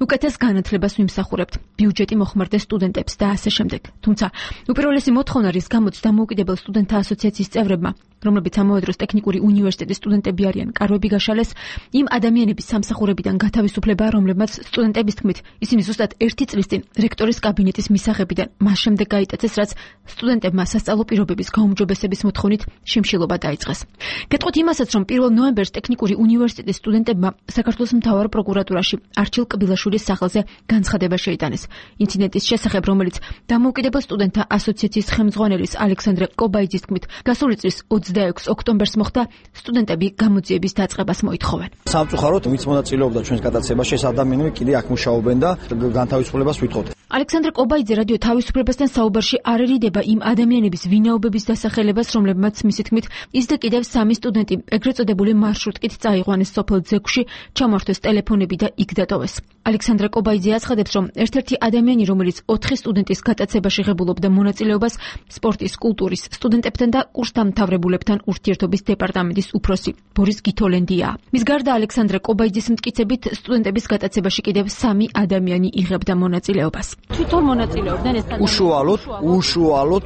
უკეთეს განათლებას ვიმსახურებთ, ბიუჯეტი მოხმარდეს სტუდენტებს და ასე შემდეგ. თუმცა, უპირველესი მოთხოვნა, რის გამოც დამოუკიდებელ სტუდენტთა ასოციაციის წევრებმა, რომლებიც ამავე დროს ტექნიკური უნივერსიტეტის სტუდენტები არიან, კარვები გაშალეს, იმ ადამიანების სამსახურებიდან გათავისუფლება, რომლებმაც სტუდენტების თქმით, ისინი ზუსტად ერთი წლის წინ რექტორის კაბინეტის მისაღებიდან მას შემდეგ გაიტაცეს, რაც სტუდენტებმა სასწავლო პირობების გაუმჯობესების მოთხოვნით შიმშილობა დაიწყეს. გეტყვით იმასაც, რომ 1 ნოემბერს ტექნიკური უნივერსიტეტის სტუდენტებმა საქართველოს მთავარ პროკურატურაში არჩილ კბილაშვილის სახელზე განცხადება შეიტანეს. ინციდენტის შესახებ, რომელიც დამოუკიდებელ სტუდენტთა ასოციაციის ხელმძღვანელის ალექსანდრე კობაიძის თქმით, გასული წლის 26 ოქტომბერს მოხდა, სტუდენტები გამოძიების დაწყებას მოითხოვენ. სამწუხაროდ ვინც მონაწილეობდა ჩვენს გადაცემაში, ეს ადამიანები კიდე აქ მუშაობენ და განთავისუფლებას ვითხოვთ. ალექსანდრე კობაიძე რადიო თავისუფლებასთან საუბარში არ ერიდება იმ ადამიანების ვინაობების დასახელებას, რომლებმაც მისი თქმით, ის და კიდევ 3 სტუდენტი ეგრეთ წოდებული მარშრუტკით წაიყვანეს სოფელ ძეგლში, ჩამართვეს ტელეფონები და იქ დატოვეს. ალექსანდრე კობაიძე აცხადებს, რომ ერთ-ერთი ადამიანი, რომელიც 4 სტუდენტის გატაცებაში ღებულობდა მონაწილეობას, სპორტის, კულტურის, სტუდენტებთან და კურსდამთავრებულებთან ურთიერთობის დეპარტამენტის უფროსი ბორის გითოლენდია. მის გარდა ალექსანდრე კობაიძის მტკიცებით, სტუდენტების გატაცებაში კიდევ 3 ადამიანი იღებდა მონაწილეობას. თვითონ მონაწილეობდნენ ეს ადამიანები. უშუალოდ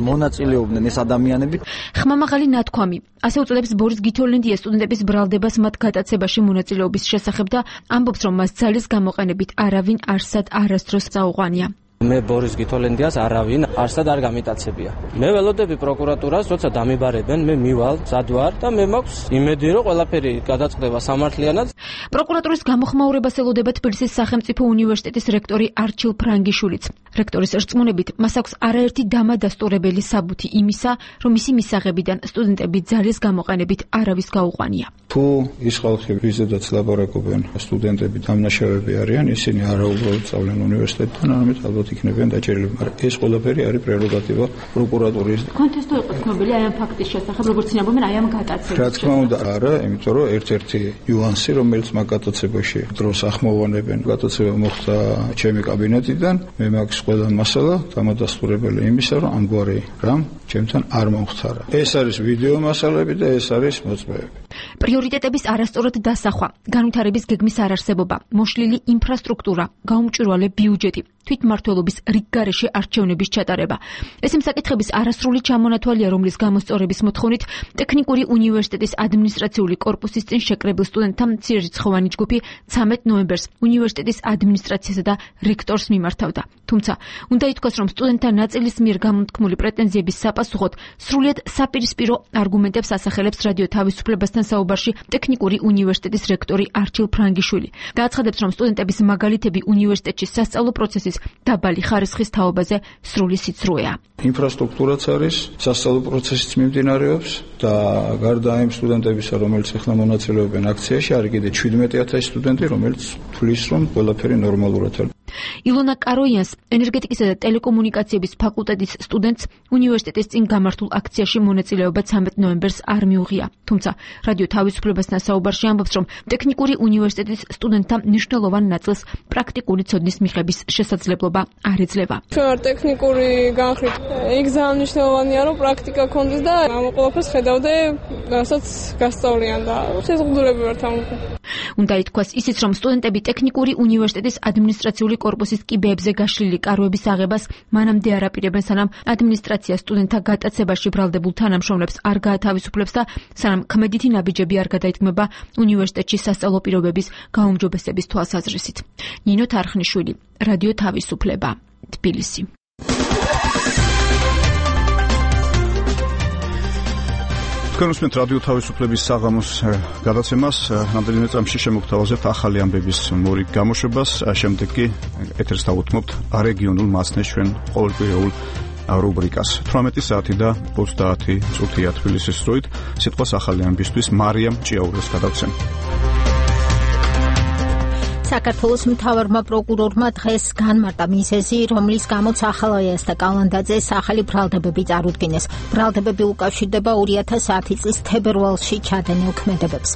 მონაწილეობდნენ ეს ადამიანები. ხმამაღალი ნათქვამი. ასე უწოდებს ბორის გითოლენდია სტუდენტების ბრალდებას მათ გატაცებაში მონაწილეობის შესახებ და ამბობს, რომ მას ძალის გამოყენებით არავინ არსად არასდროს წაუყვანია. მე ბორის გითოლენდიას არავინ არსად არ გამიტაცებია. მე ველოდები პროკურატურას, როცა დამიბარებენ, მე მივალ, ზადვარ და მე მაქვს იმედი, რომ ყველაფერი გადაწყდება სამართლიანად. პროკურატურის გამოხმაურებას ელოდება თბილისის სახელმწიფო უნივერსიტეტის რექტორი არჩილ ფრანგიშვილიც. რექტორის რწმუნებით, მას აქვს არაერთი დამადასტურებელი საბუთი იმისა, რომ მისი მისაღებიდან სტუდენტები ძალის გამოყენებით არავის გაუყვანია. თუ ის ხალხი, ვიზედაც ლაპარაკობენ, სტუდენტები დამნაშავეები არიან, ისინი არაუბრალოდ სწავლენ უნივერსიტეტთან, არამედ ალბათ იქნებიან დაჭერილები, მაგრამ ეს ყველაფერი არის პრეროგატივა პროკურატურის. კონტესტო იყო ცნობილი აი ამ ფაქტის შესახებ, როგორც ცნობენ აი ამ გატაცების. რა თქმა უნდა, არა, იმიტომ რომ ერთ-ერთი ნიუანსი, რომელიც მაგ გატაცებაში დროს ახმოვანებენ, გატაცება მოხდა ჩემი კაბინეტიდან, მე მაქვს ყველა მასალა დამადასტურებელი იმისა, რომ ამგვარი რამ ჩემთან არ მომხდარა. ეს არის ვიდეო მასალები და ეს არის მოწმეები. პრიორიტეტების არასწორად დასახვა, განვითარების გეგმის არარსებობა, მოშლილი ინფრასტრუქტურა, გაუმჭვირვალე ბიუჯეტი, თვითმმართველობის რიგგარეშე არჩევნების ჩატარება. ეს იმ საკითხების არასრული ჩამონათვალია, რომლის გამოსწორების მოთხოვნით ტექნიკური უნივერსიტეტის ადმინისტრაციული კორპუსის წინ შეკრებილ სტუდენტთა მცირერიცხოვანი ჯგუფი 13 ნოემბერს უნივერსიტეტის ადმინისტრაციასა და რექტორს მიმართავდა. თუმცა, უნდა ითქვას, რომ სტუდენტთა ნაწილის მიერ გამოთქმული პრეტენზიების საპასუხოდ სრულიად საპირისპირო არგუმენტებს ასახელებს რადიო თავისუფლებასთან საუბარში ტექნიკური უნივერსიტეტის რექტორი არჩილ ფრანგიშვილი. დააცხადებს, რომ სტუდენტების მაგალითები უნივერსიტეტში სასწავლო პროცესის დაბალი ხარისხის თაობაზე სრული სიცრუეა. ინფრასტრუქტურაც არის, სასწავლო პროცესიც მიმდინარეობს და გარდა იმ სტუდენტებისა, რომელიც ახლა მონაწილეობენ აქციაში, არის კიდე 17000 სტუდენტი, რომელიც თვლის, რომ ყველაფერი ნორმალურად არის. ილონა კაროიანს, ენერგეტიკისა და ტელეკომუნიკაციების ფაკულტეტის სტუდენტს, უნივერსიტეტის წინ გამართულ აქციაში მონაწილეობა 13 ნოემბერს არ მიუღია. თუმცა, რადიო თავისუფლებასთან საუბარში ამბობს, რომ ტექნიკური უნივერსიტეტის სტუდენტთა მნიშვნელოვან ნაწილს პრაქტიკული ცოდნის მიღების შესაძლებლობა არ ეძლევა. ჩვენ არ ტექნიკური განხრით იქ ძალიან მნიშვნელოვანია, რომ პრაქტიკა კონდეს და ამ ყველაფერს ხედავდე, რასაც გასწავლიან და შეზღუდულები ვართ ამ. უნდა ითქვას ისიც, რომ სტუდენტები ტექნიკური უნივერსიტეტის ადმინისტრაციული კორპუსის კიბეებზე გაშლილი კარვების აღებას მანამდე არ აპირებენ, სანამ ადმინისტრაცია სტუდენტთა გატაცებაში ბრალდებულ თანამშრომლებს არ გაათავისუფლებს და სანამ ქმედითი ნაბიჯები არ გადაითქმება უნივერსიტეტში სასწავლო პირობების გაუმჯობესების თვალსაზრისით. ნინო თარხნიშვილი, რადიო თავისუფლება, თბილისი. თქვენ უსმენთ რადიო თავისუფლების საღამოს გადაცემას. რამდენიმე წამში შემოგთავაზებთ ახალი ამბების მორიგ გამოშვებას. შემდეგ კი ეთერს დავუთმობთ რეგიონულ მასნეს ჩვენ ყოველკვირეულ რუბრიკას. 18 საათი და 30 წუთია თბილისის დროით. სიტყვას ახალი ამბისთვის მარიამ ჭიაურეს გადავცემ. საქართველოს მთავარმა პროკურორმა დღეს განმარტა მიზეზი, რომლის გამოც ახალაიას და კალანდაძეს ახალი ბრალდებები წარუდგინეს. ბრალდებები უკავშირდება 2010 წლის თებერვალში ჩადენილ ქმედებებს.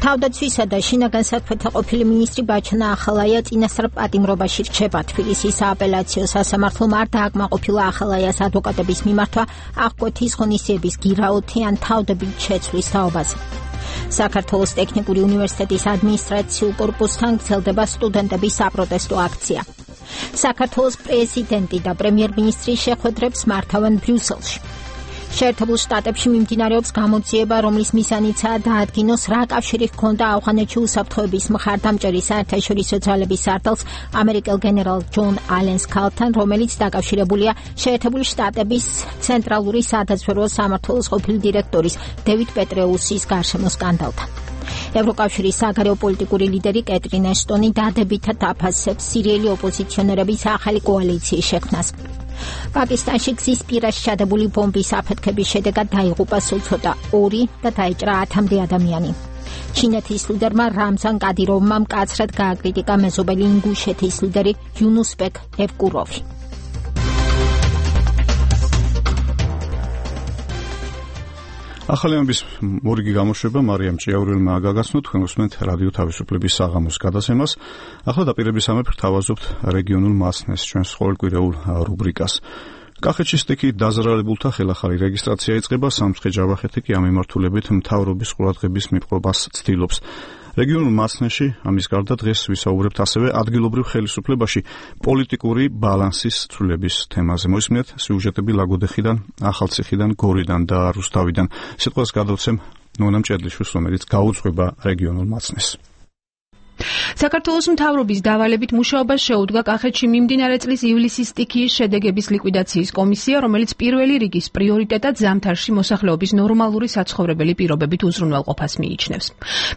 თავდაცვისა და შინაგან საქმეთა ყოფილი მინისტრი ბაჩანა ახალაია წინასწარ პატიმრობაში რჩება. თბილისის სააპელაციო სასამართლომ არ დააკმაყოფილა ახალაიას ადვოკატების მიმართვა აღკვეთის ღონისძიების გირაოთი ან თავდებით შეცვლის თაობაზე. საქართველოს ტექნიკური უნივერსიტეტის ადმინისტრაციულ კორპუსთან გრძელდება სტუდენტების საპროტესტო აქცია. საქართველოს პრეზიდენტი და პრემიერ-მინისტრი შეხვედრებს მართავენ ბრიუსელში. შეერთებულ შტატებში მიმდინარეობს გამოძიება, რომლის მიზანიცაა დაადგინოს რა კავშირი ჰქონდა ავღანეთში უსაფრთხოების მხარდამჭერი საერთაშორისო ძალების სარდალს ამერიკელ გენერალ ჯონ ალენს ქალთან, რომელიც დაკავშირებულია შეერთებული შტატების ცენტრალური სადაზვერვო სამმართველოს ყოფილი დირექტორის დევიდ პეტრეუსის გარშემო სკანდალთან. ევროკავშირის საგარეო პოლიტიკური ლიდერი კეტრინ ეშტონი დადებითად აფასებს სირიელი ოპოზიციონერების ახალი კოალიციის შექმნას. პაკისტანში გზის პირას ჩადებული ბომბის აფეთქების შედეგად დაიღუპა სულ ცოტა 2 და დაიჭრა 10-მდე ადამიანი. ჩინეთის ლიდერმა რამზან კადიროვმა მკაცრად გააკრიტიკა მეზობელი ინგუშეთის ლიდერი იუნუსბეკ ევკუროვი. ახალი ამბის მორიგი გამოშვება მარიამ ჭიაურელმა გაგაცნო. თქვენ უსმენთ რადიო თავისუფლების საღამოს გადაცემას. ახლა დაპირებისამებრ გთავაზობთ რეგიონულ მასნეს ჩვენს ყოველკვირეულ რუბრიკას. კახეთში სტიქით დაზარალებულთა ხელახალი რეგისტრაცია იწყება. სამცხე ჯავახეთი კი ამ მიმართულებით მთავრობის ყურადღების მიპყრობას ცდილობს. რეგიონულ მასნეში ამის გარდა დღეს ვისაუბრებთ ასევე ადგილობრივ ხელისუფლებაში პოლიტიკური ბალანსის ცვლილების თემაზე. მოისმინეთ სიუჟეტები ლაგოდეხიდან, ახალციხიდან, გორიდან და რუსთავიდან. სიტყვას გადავცემ ნონა მჭედლიშვილს, რომელიც გაუძღვება რეგიონულ მასნეს. საქართველოს მთავრობის დავალებით მუშაობას შეუდგა კახეთში მიმდინარე წლის ივლისის სტიქიის შედეგების ლიკვიდაციის კომისია, რომელიც პირველი რიგის პრიორიტეტად ზამთარში მოსახლეობის ნორმალური საცხოვრებელი პირობებით უზრუნველყოფას მიიჩნევს.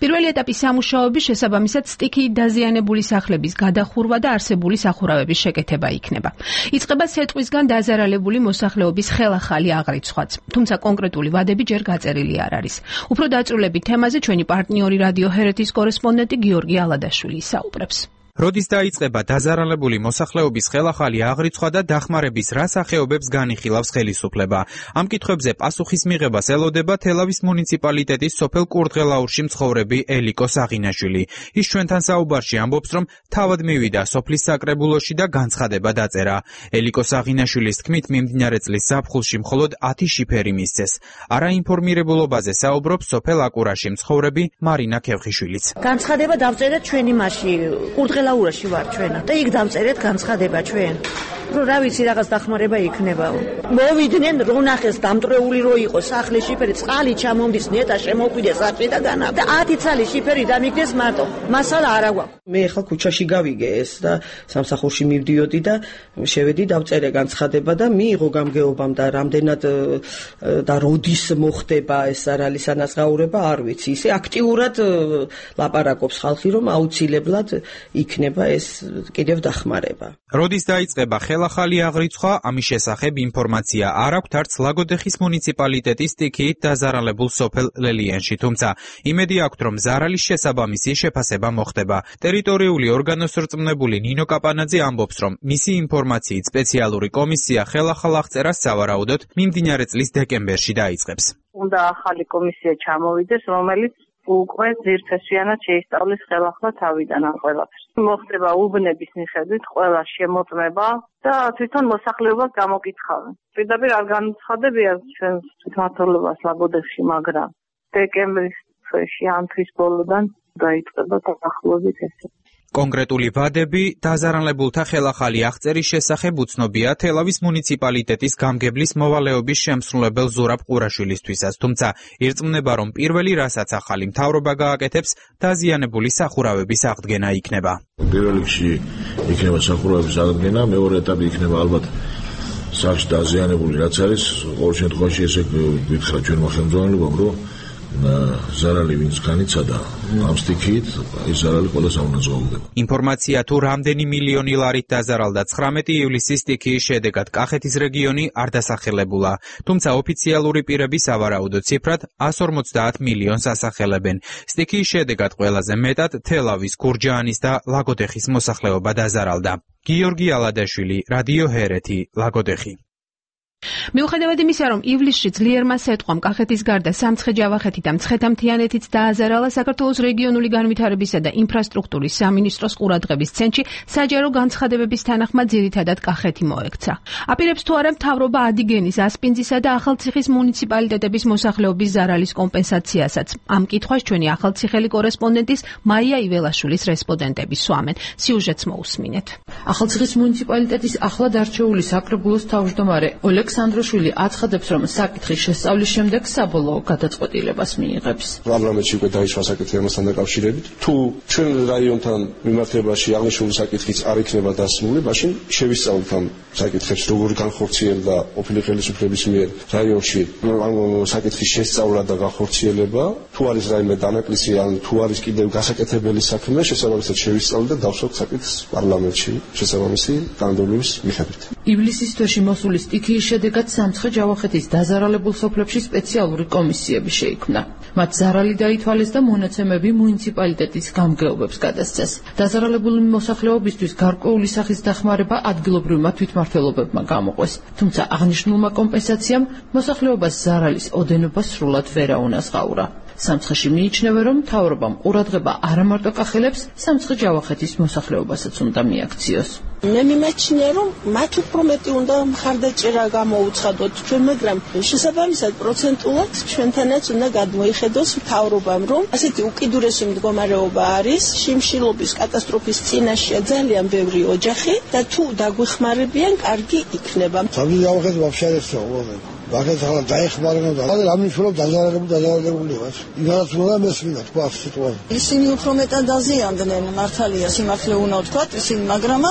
პირველი ეტაპის სამუშაოების შესაბამისად სტიქიით დაზიანებული სახლების გადახურვა და არსებული სახურავების შეკეთება იქნება. იწყება სეტყვისგან დაზარალებული მოსახლეობის ხელახალი აღრიცხვაც, თუმცა კონკრეტული ვადები ჯერ გაწერილი არ არის. უფრო დაწვრილებით თემაზე ჩვენი პარტნიორი რადიო ჰერეთის კორესპონდენტი გიორგი ალადაშვილი საუბრებს. როდის დაიწყება დაზარალებული მოსახლეობის ხელახალი აღრიცხვა და დახმარების რა სახეობებს განიხილავს ხელისუფლება? ამ კითხვებზე პასუხის მიღებას ელოდება თელავის მუნიციპალიტეტის სოფელ კურდღელაურში მცხოვრები ელიკო საღინაშვილი. ის ჩვენთან საუბარში ამბობს, რომ თავად მივიდა სოფლის საკრებულოში და განცხადება დაწერა. ელიკო საღინაშვილის თქმით, მიმდინარე წლის ზაფხულში მხოლოდ 10 შიფერი მისცეს. არაინფორმირებულობაზე საუბრობს სოფელ აკურაში მცხოვრები მარინა ქევხიშვილიც. განცხადება დავწერეთ ჩვენი მასში კურდღელაურაში ვარ ჩვენა და იქ დავწერეთ განცხადება ჩვენ. რომ რა ვიცი რაღაც დახმარება იქნება. მოვიდნენ რო ნახეს დამტრეული რო იყო სახლი შიფერი, წყალი ჩამომდის, ნეტა შემოყვიდეს აფრიდაგან და 10 ცალი შიფერი დამიგდეს მარტო. მასალა არა გვაქვს. მე ხა ქუჩაში გავიგე ეს და სამსახურში მივდიოდი და შევედი დავწერე განცხადება და მიიღო გამგეობამ და რამდენად და როდის მოხდება ეს არალისანაზღაურება არ ვიცი. ისე აქტიურად ლაპარაკობს ხალხი რომ აუცილებლად იქნება ეს კიდევ დახმარება. როდის დაიწყება ხელახალი აღრიცხვა, ამის შესახებ ინფორმაცია არ აქვს არც ლაგოდეხის მუნიციპალიტეტის სტიქიით დაზარალებულ სოფელ ლელიანში, თუმცა იმედი აქვს, რომ ზარალის შესაბამისი შეფასება მოხდება. ტერიტორიული ორგანოს რწმუნებული ნინო კაპანაძე ამბობს, რომ მისი ინფორმაციით სპეციალური კომისია ხელახალ აღწერას სავარაუდოდ მიმდინარე წლის დეკემბერში დაიწყებს. უნდა ახალი კომისია ჩამოვიდეს, რომელიც უკვე ძირფესვიანად შეისწავლის ხელახლა თავიდან ამ ყველაფერს. მოხდება უბნების მიხედვით ყველა შემოწმება და თვითონ მოსახლეობას გამოკითხავენ. პირდაპირ არ განუცხადებია ჩვენს თვითმმართველობას ლაგოდეხში, მაგრამ დეკემბრის თვეში ამ თვის ბოლოდან დაიწყება დაახლოებით ესე. კონკრეტული ვადები დაზარალებულთა ხელახალი აღწერის შესახებ უცნობია თელავის მუნიციპალიტეტის გამგებლის მოვალეობის შემსრულებელ ზურაბ ყურაშვილისთვისაც, თუმცა ირწმუნება, რომ პირველი რასაც ახალი მთავრობა გააკეთებს, დაზიანებული სახურავების აღდგენა იქნება. პირველ რიგში იქნება სახურავების აღდგენა, მეორე ეტაპი იქნება ალბათ სახლში დაზიანებული რაც არის, ყოველ შემთხვევაში ესე გითხრა ჩვენმა ხელმძღვანელობამ, რომ ზარალი ვინც განიცადა ამ სტიქით, ეს ზარალი ყველას აუნაზღაურდება. ინფორმაცია თუ რამდენი მილიონი ლარით დაზარალდა 19 ივლისის სტიქიის შედეგად კახეთის რეგიონი არ დასახელებულა, თუმცა ოფიციალური პირები სავარაუდო ციფრად 150 მილიონს ასახელებენ. სტიქიის შედეგად ყველაზე მეტად თელავის, გურჯაანის და ლაგოდეხის მოსახლეობა დაზარალდა. გიორგი ალადაშვილი, რადიო ჰერეთი, ლაგოდეხი. მიუხედავად იმისა, რომ ივლისში ძლიერმა სეტყვამ კახეთის გარდა სამცხე-ჯავახეთი და მცხეთა-მთიანეთიც დააზარალა, საქართველოს რეგიონული განვითარებისა და ინფრასტრუქტურის სამინისტროს ყურადღების ცენტრში საჯარო განცხადებების თანახმად ძირითადად კახეთი მოექცა. აპირებს თუ არა მთავრობა ადიგენის, ასპინძისა და ახალციხის მუნიციპალიტეტების მოსახლეობის ზარალის კომპენსაციასაც. ამ კითხვას ჩვენი ახალციხელი კორესპონდენტის მაია იველაშვილის რესპონდენტები სვამენ. სიუჟეტს მოусმინეთ. ახალციხის მუნიციპალიტეტის ახლად არჩეული საკრებულოს თავმჯდომარე ალექსანდროშვილი აცხადებს, რომ საკითხის შესწავლის შემდეგ საბოლოო გადაწყვეტილებას მიიღებს. პარლამენტში უკვე დაიშვა საკითხი ამასთან დაკავშირებით. თუ ჩვენ რაიონთან მიმართებაში აღნიშნული საკითხიც არ იქნება დასმული, მაშინ შევისწავლოთ ამ საკითხებს, როგორი განხორციელდა ყოფილი ხელისუფლების მიერ რაიონში ამ საკითხის შესწავლა და განხორციელება, თუ არის რაიმე დანაკლისი, ან თუ არის კიდევ გასაკეთებელი საქმე, შესაბამისად შევისწავლოთ და დავსვათ საკითხს პარლამენტში შესაბამისი კანონმდებლობის მიხედვით. ივლისის თვეში მოსული სტიქიის შედეგად სამცხე-ჯავახეთის დაზარალებულ სოფლებში სპეციალური კომისიები შეიქმნა. მათ ზარალი დაითვალეს და მონაცემები მუნიციპალიტეტის გამგეობებს გადასცეს. დაზარალებული მოსახლეობისთვის გარკვეული სახის დახმარება ადგილობრივმა თვითმმართველობებმა გამოყვეს. თუმცა აღნიშნულმა კომპენსაციამ მოსახლეობას ზარალის ოდენობა სრულად ვერ აუნაზღაურა. სამცხეში მიიჩნევა, რომ მთავრობამ ყურადღება არა მარტო კახელებს, სამცხე-ჯავახეთის მოსახლეობასაც უნდა მიაქციოს. მე მიმაჩნია, რომ მათ უფრო მეტი უნდა მხარდაჭერა გამოუცხადოთ ჩვენ, მაგრამ შესაბამისად პროცენტულად ჩვენთანაც უნდა გადმოიხედოს მთავრობამ, რომ ასეთი უკიდურესი მდგომარეობა არის, შიმშილობის კატასტროფის წინაშეა ძალიან ბევრი ოჯახი და თუ დაგვეხმარებიან, კარგი იქნება. სამცხე-ჯავახეთი вообще არ ეცოლა. ბაგეთ ახლა დაეხმარება და რა მნიშვნელობა დაზარალებული ვარ. იმას უნდა მესმინა თქვა სიტუაცია. ისინი უფრო მეტად დაზიანდნენ, მართალია სიმართლე უნდა ვთქვათ, ისინი, მაგრამ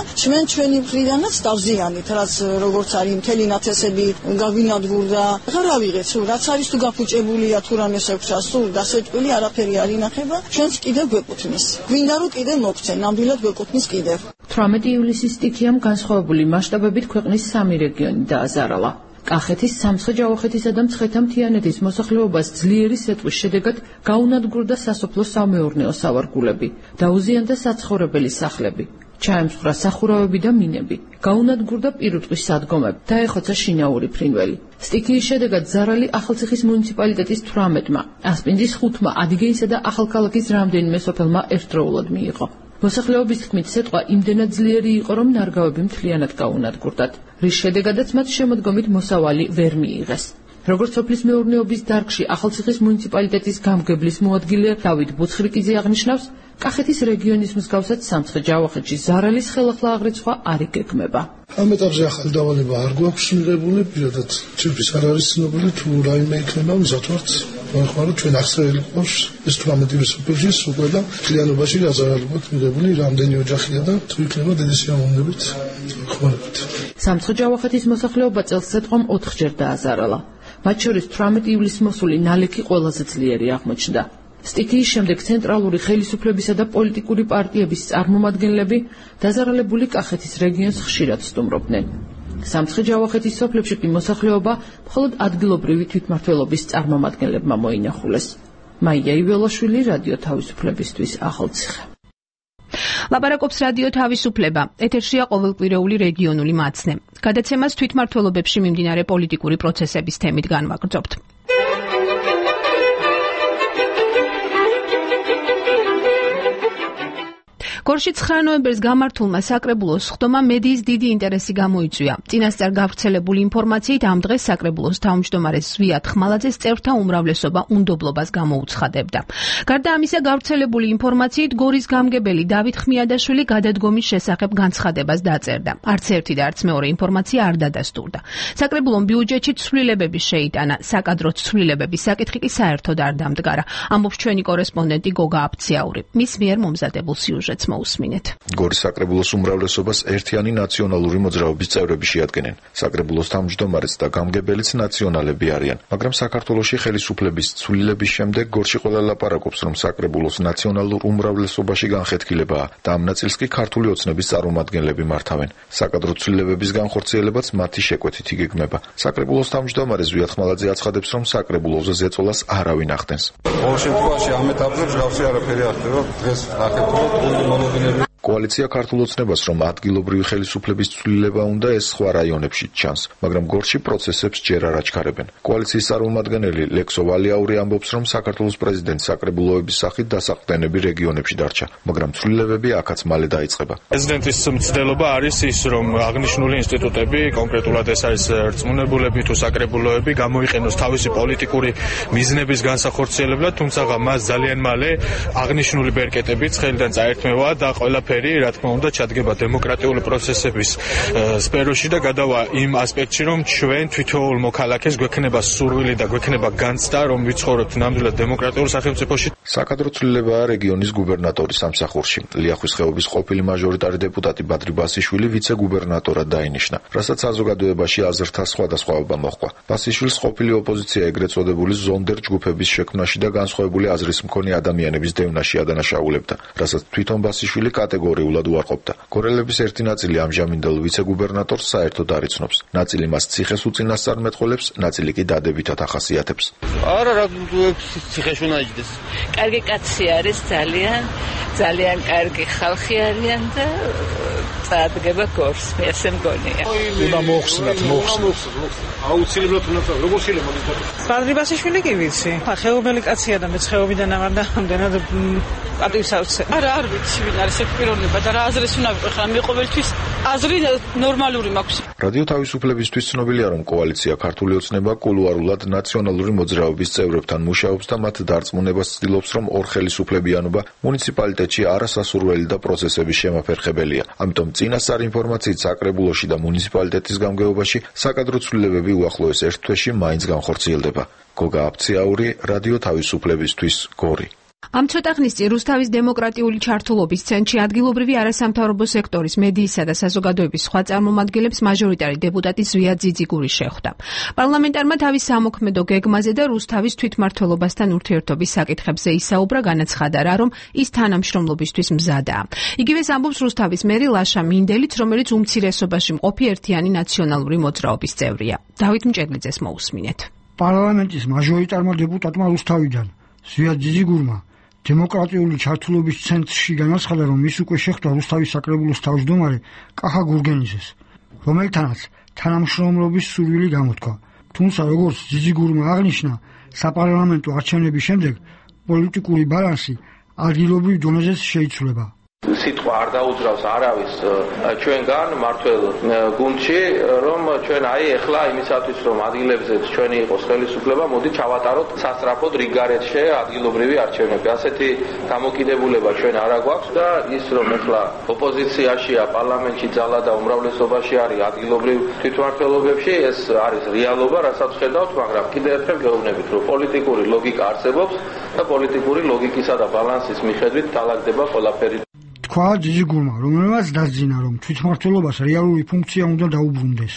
ჩვენი მხრიდანაც დავზიანით, რაც როგორც არის მთელი ნათესები გაგვინადგურდა. რა ვიღეთ, რაც არის თუ გაფუჭებულია თუ რამე შეგვჭა, სულ დასეტყვილი არაფერი არ ინახება, ჩვენს კიდევ გვეკუთვნის. გვინდა რომ კიდევ მოგცენ, ნამდვილად გვეკუთვნის კიდევ. 18 ივლისის სტიქიამ განსხვავებული მასშტაბებით ქვეყნის 3 რეგიონი დააზარალა. კახეთის, სამცხე-ჯავახეთისა და მცხეთა-მთიანეთის მოსახლეობას ძლიერი სეტყვის შედეგად გაუნადგურდა სასოფლო სამეურნეო სავარგულები, დაუზიანდა საცხოვრებელი სახლები, ჩაემსხვრა სახურავები და მინები, გაუნადგურდა პირუტყვის სადგომები, დაეხოცა შინაური ფრინველი. სტიქიის შედეგად ზარალი ახალციხის მუნიციპალიტეტის 18-მა, ასპინძის 5-მა, ადიგეისა და ახალქალაქის რამდენიმე სოფელმა ერთდროულად მიიღო. მოსახლეობის თქმით, სეტყვა იმდენად ძლიერი იყო, რომ ნარგავები მთლიანად გაუნადგურდათ, რის შედეგადაც მათ შემოდგომით მოსავალი ვერ მიიღეს. როგორც სოფლის მეურნეობის დარგში ახალციხის მუნიციპალიტეტის გამგებლის მოადგილე დავით ბუცხრიკიძე აღნიშნავს, კახეთის რეგიონის მსგავსად სამცხე-ჯავახეთში ზარალის ხელახლა აღრიცხვა არ იგეგმება. ამ ეტაპზე ახალი დავალება არ გვაქვს მიღებული, პირადად ციფრის არ არის ცნობილი, თუ რაიმე იქნება, მზად ვართ ჩვენ ახსენელი ყავს ეს 18 ივლისის სოფელში უკვე და მთლიანობაში დაზარალებად მიღებული რამდენი ოჯახია და თუ იქნება დიდი სიამოვნებით ხმარებით. სამცხე-ჯავახეთის მოსახლეობა წელს სეტყვამ 4-ჯერ დააზარალა. მათ შორის 18 ივლისს მოსული ნალექი ყველაზე ძლიერი აღმოჩნდა. სტიქიის შემდეგ ცენტრალური ხელისუფლებისა და პოლიტიკური პარტიების წარმომადგენლები დაზარალებული კახეთის რეგიონს ხშირად სტუმრობდნენ. სამცხე-ჯავახეთის სოფლებში კი მოსახლეობა მხოლოდ ადგილობრივი თვითმმართველობის წარმომადგენლებმა მოინახულეს. მაია იველაშვილი, რადიო თავისუფლებისთვის, ახალციხე. ლაპარაკობს რადიო თავისუფლება. ეთერშია ყოველკვირეული რეგიონული მაცნე. გადაცემას თვითმმართველობებში მიმდინარე პოლიტიკური პროცესების თემით განვაგრძობთ. გორში 9 ნოემბერს გამართულმა საკრებულოს სხდომა მედიის დიდი ინტერესი გამოიწვია. წინასწარ გავრცელებული ინფორმაციით ამ დღეს საკრებულოს თავმჯდომარე ზვიად ხმალაძეს წევრთა უმრავლესობა უნდობლობას გამოუცხადებდა. გარდა ამისა, გავრცელებული ინფორმაციით გორის გამგებელი დავით ხმიადაშვილი გადადგომის შესახებ განცხადებას დაწერდა. არც ერთი და არც მეორე ინფორმაცია არ დადასტურდა. საკრებულომ ბიუჯეტში ცვლილებები შეიტანა, საკადრო ცვლილებების საკითხი კი საერთოდ არ დამდგარა. ამბობს ჩვენი კორესპონდენტი გოგა აფციაური. მის მიერ მომზადებულ სიუჟეტს მოусმინეთ. გორის საკრებულოს უმრავლესობას ერთიანი ნაციონალური მოძრაობის წევრები შეადგენენ. საკრებულოს თავმჯდომარეც და გამგებელიც ნაციონალები არიან, მაგრამ საქართველოში ხელისუფლების ცვლილების შემდეგ გორში ყველა ლაპარაკობს, რომ საკრებულოს ნაციონალურ უმრავლესობაში განხეთქილებაა და ამ ნაწილს კი ქართული ოცნების წარმომადგენლები მართავენ. საკადრო ცვლილებების განხორციელებაც მათი შეკვეთით იგეგმება. საკრებულოს თავმჯდომარე ზვიად ხმალაძე აცხადებს, რომ საკრებულოზე ზეწოლას არავინ ახდენს. ყოველ შემთხვევაში ამ ეტაპზე მსგავსი არაფერი არ ხდება. დღეს ნახეთ, რომ მონოდინები კოალიცია ქართულ ოცნებას, რომ ადგილობრივი ხელისუფლების ცვლილება უნდა, ეს სხვა რაიონებში ჩანს, მაგრამ გორში პროცესებს ჯერ არ აჩქარებენ. კოალიციის წარმომადგენელი ლექსო ვალიაური ამბობს, რომ საქართველოს პრეზიდენტს საკრებულოების სახით დასაყრდენები რეგიონებში დარჩა, მაგრამ ცვლილებები აქაც მალე დაიწყება. პრეზიდენტის მცდელობა არის ის, რომ აღნიშნული ინსტიტუტები, კონკრეტულად ეს არის რწმუნებულები თუ საკრებულოები, გამოიყენოს თავისი პოლიტიკური მიზნების განსახორციელებლად, თუმცა მას ძალიან მალე აღნიშნული ბერკეტები ცხელიდან წაერთმევა და ყველაფერი რა თქმა უნდა ჩადგება დემოკრატიული პროცესების სფეროში და გადავა იმ ასპექტში, რომ ჩვენ თვითოულ მოქალაქეს გვექნება სურვილი და გვექნება განცდა, რომ ვიცხოვროთ ნამდვილად დემოკრატიულ სახელმწიფოში. საკადრო ცვლილებაა რეგიონის გუბერნატორის სამსახურში. ლიახვის ხეობის ყოფილი მაჟორიტარი დეპუტატი ბადრი ბასიშვილი ვიცე-გუბერნატორად დაინიშნა, რასაც საზოგადოებაში აზრთა სხვადასხვაობა მოჰყვა. ბასიშვილს ყოფილი ოპოზიცია ეგრეთ წოდებული ზონდერ ჯგუფების შექმნაში და განსხვავებული აზრის მქონე ადამიანების დევნაში ადანაშაულებდა, რასაც თვითონ ბასიშვილი კატეგორიულად უარყოფდა. გორელების ერთი ნაწილი ამჟამინდელ ვიცე-გუბერნატორს საერთოდ არ იცნობს. ნაწილი მას ციხეს უწინასწარ მეტყველებს, ნაწილი კი დადებითად ახასიათებს. არა, რა ციხეში უნდა იჯდეს. კარგი კაცი არის, ძალიან კარგი ხალხი არიან და წარდგება გორს, მე ასე მგონია. უნდა მოხსნათ. აუცილებლად უნდა როგორ შეიძლება მოგიწოდოთ. ბადრი ბასიშვილი კი ვიცი. ხეობელი კაცია და მეც ხეობიდან აღარ და ამდენად პატივს ავცე. არ ვიცი ვინ არის ეს პიროვნება და რა აზრის უნდა ვიყო ხა მე ყოველთვის აზრი ნორმალური მაქვს. რადიო თავისუფლებისთვის ცნობილია, რომ კოალიცია ქართული ოცნება კულუარულად ნაციონალური მოძრაობის წევრებთან მუშაობს და მათ დარწმუნებას ცდილობს, რომ ორ ხელისუფლებიანობა მუნიციპალიტეტში არასასურველი და პროცესების შემაფერხებელია. ამიტომ წინასწარ ინფორმაციით საკრებულოში და მუნიციპალიტეტის გამგეობაში საკადრო ცვლილებები უახლოეს ერთ თვეში მაინც განხორციელდება. გოგა აფციაური, რადიო თავისუფლებისთვის, გორი. ამ ცოტა ხნის წინ რუსთავის დემოკრატიული ჩართულობის ცენტრში ადგილობრივი არასამთავრობო სექტორის მედიისა და საზოგადოების სხვა წარმომადგენლებს მაჟორიტარი დეპუტატი ზვიად ძიძიგური შეხვდა. პარლამენტარმა თავის სამოქმედო გეგმაზე და რუსთავის თვითმმართველობასთან ურთიერთობის საკითხებზე ისაუბრა, განაცხადა რა, რომ ის თანამშრომლობისთვის მზადაა. იგივეს ამბობს რუსთავის მერი ლაშა მინდელიც, რომელიც უმცირესობაში მყოფი ერთიანი ნაციონალური მოძრაობის წევრია. დავით მჭედლიძეს მოусმინეთ. პარლამენტის მაჟორიტარმა დეპუტატმა რუსთავიდან ზვიად ძიძიგურმა დემოკრატიული ჩართულობის ცენტრში განაცხადა, რომ ის უკვე შეხვდა რუსთავის საკრებულოს თავმჯდომარე კახა გურგენიძეს, რომელთანაც თანამშრომლობის სურვილი გამოთქვა. თუმცა, როგორც ძიძიგურმა აღნიშნა, საპარლამენტო არჩევნების შემდეგ პოლიტიკური ბალანსი ადგილობრივ დონეზეც შეიცვლება. სიტყვა არ დაუძრავს არავის ჩვენგან მართველ გუნდში, რომ ჩვენ ეხლა იმისათვის, რომ ადგილებზე ჩვენი იყოს ხელისუფლება, მოდი ჩავატაროთ სასწრაფოდ რიგარეთში ადგილობრივი არჩევნები. ასეთი დამოკიდებულება ჩვენ არ აგვაქვს და ის, რომ ეხლა ოპოზიციაშია, პარლამენტში ძალა და უმრავლესობაში არის ადგილობრივ თვითმმართველობებში, ეს არის რეალობა, რასაც ხედავთ, მაგრამ კიდევ ერთხელ გეუბნებით, რომ პოლიტიკური ლოგიკა არსებობს და პოლიტიკური ლოგიკისა და ბალანსის მიხედვით დაალაგდება ყველაფერი. თქვა ძიძიგურმა, რომელმაც დასძინა, რომ თვითმმართველობას რეალური ფუნქცია უნდა დაუბრუნდეს.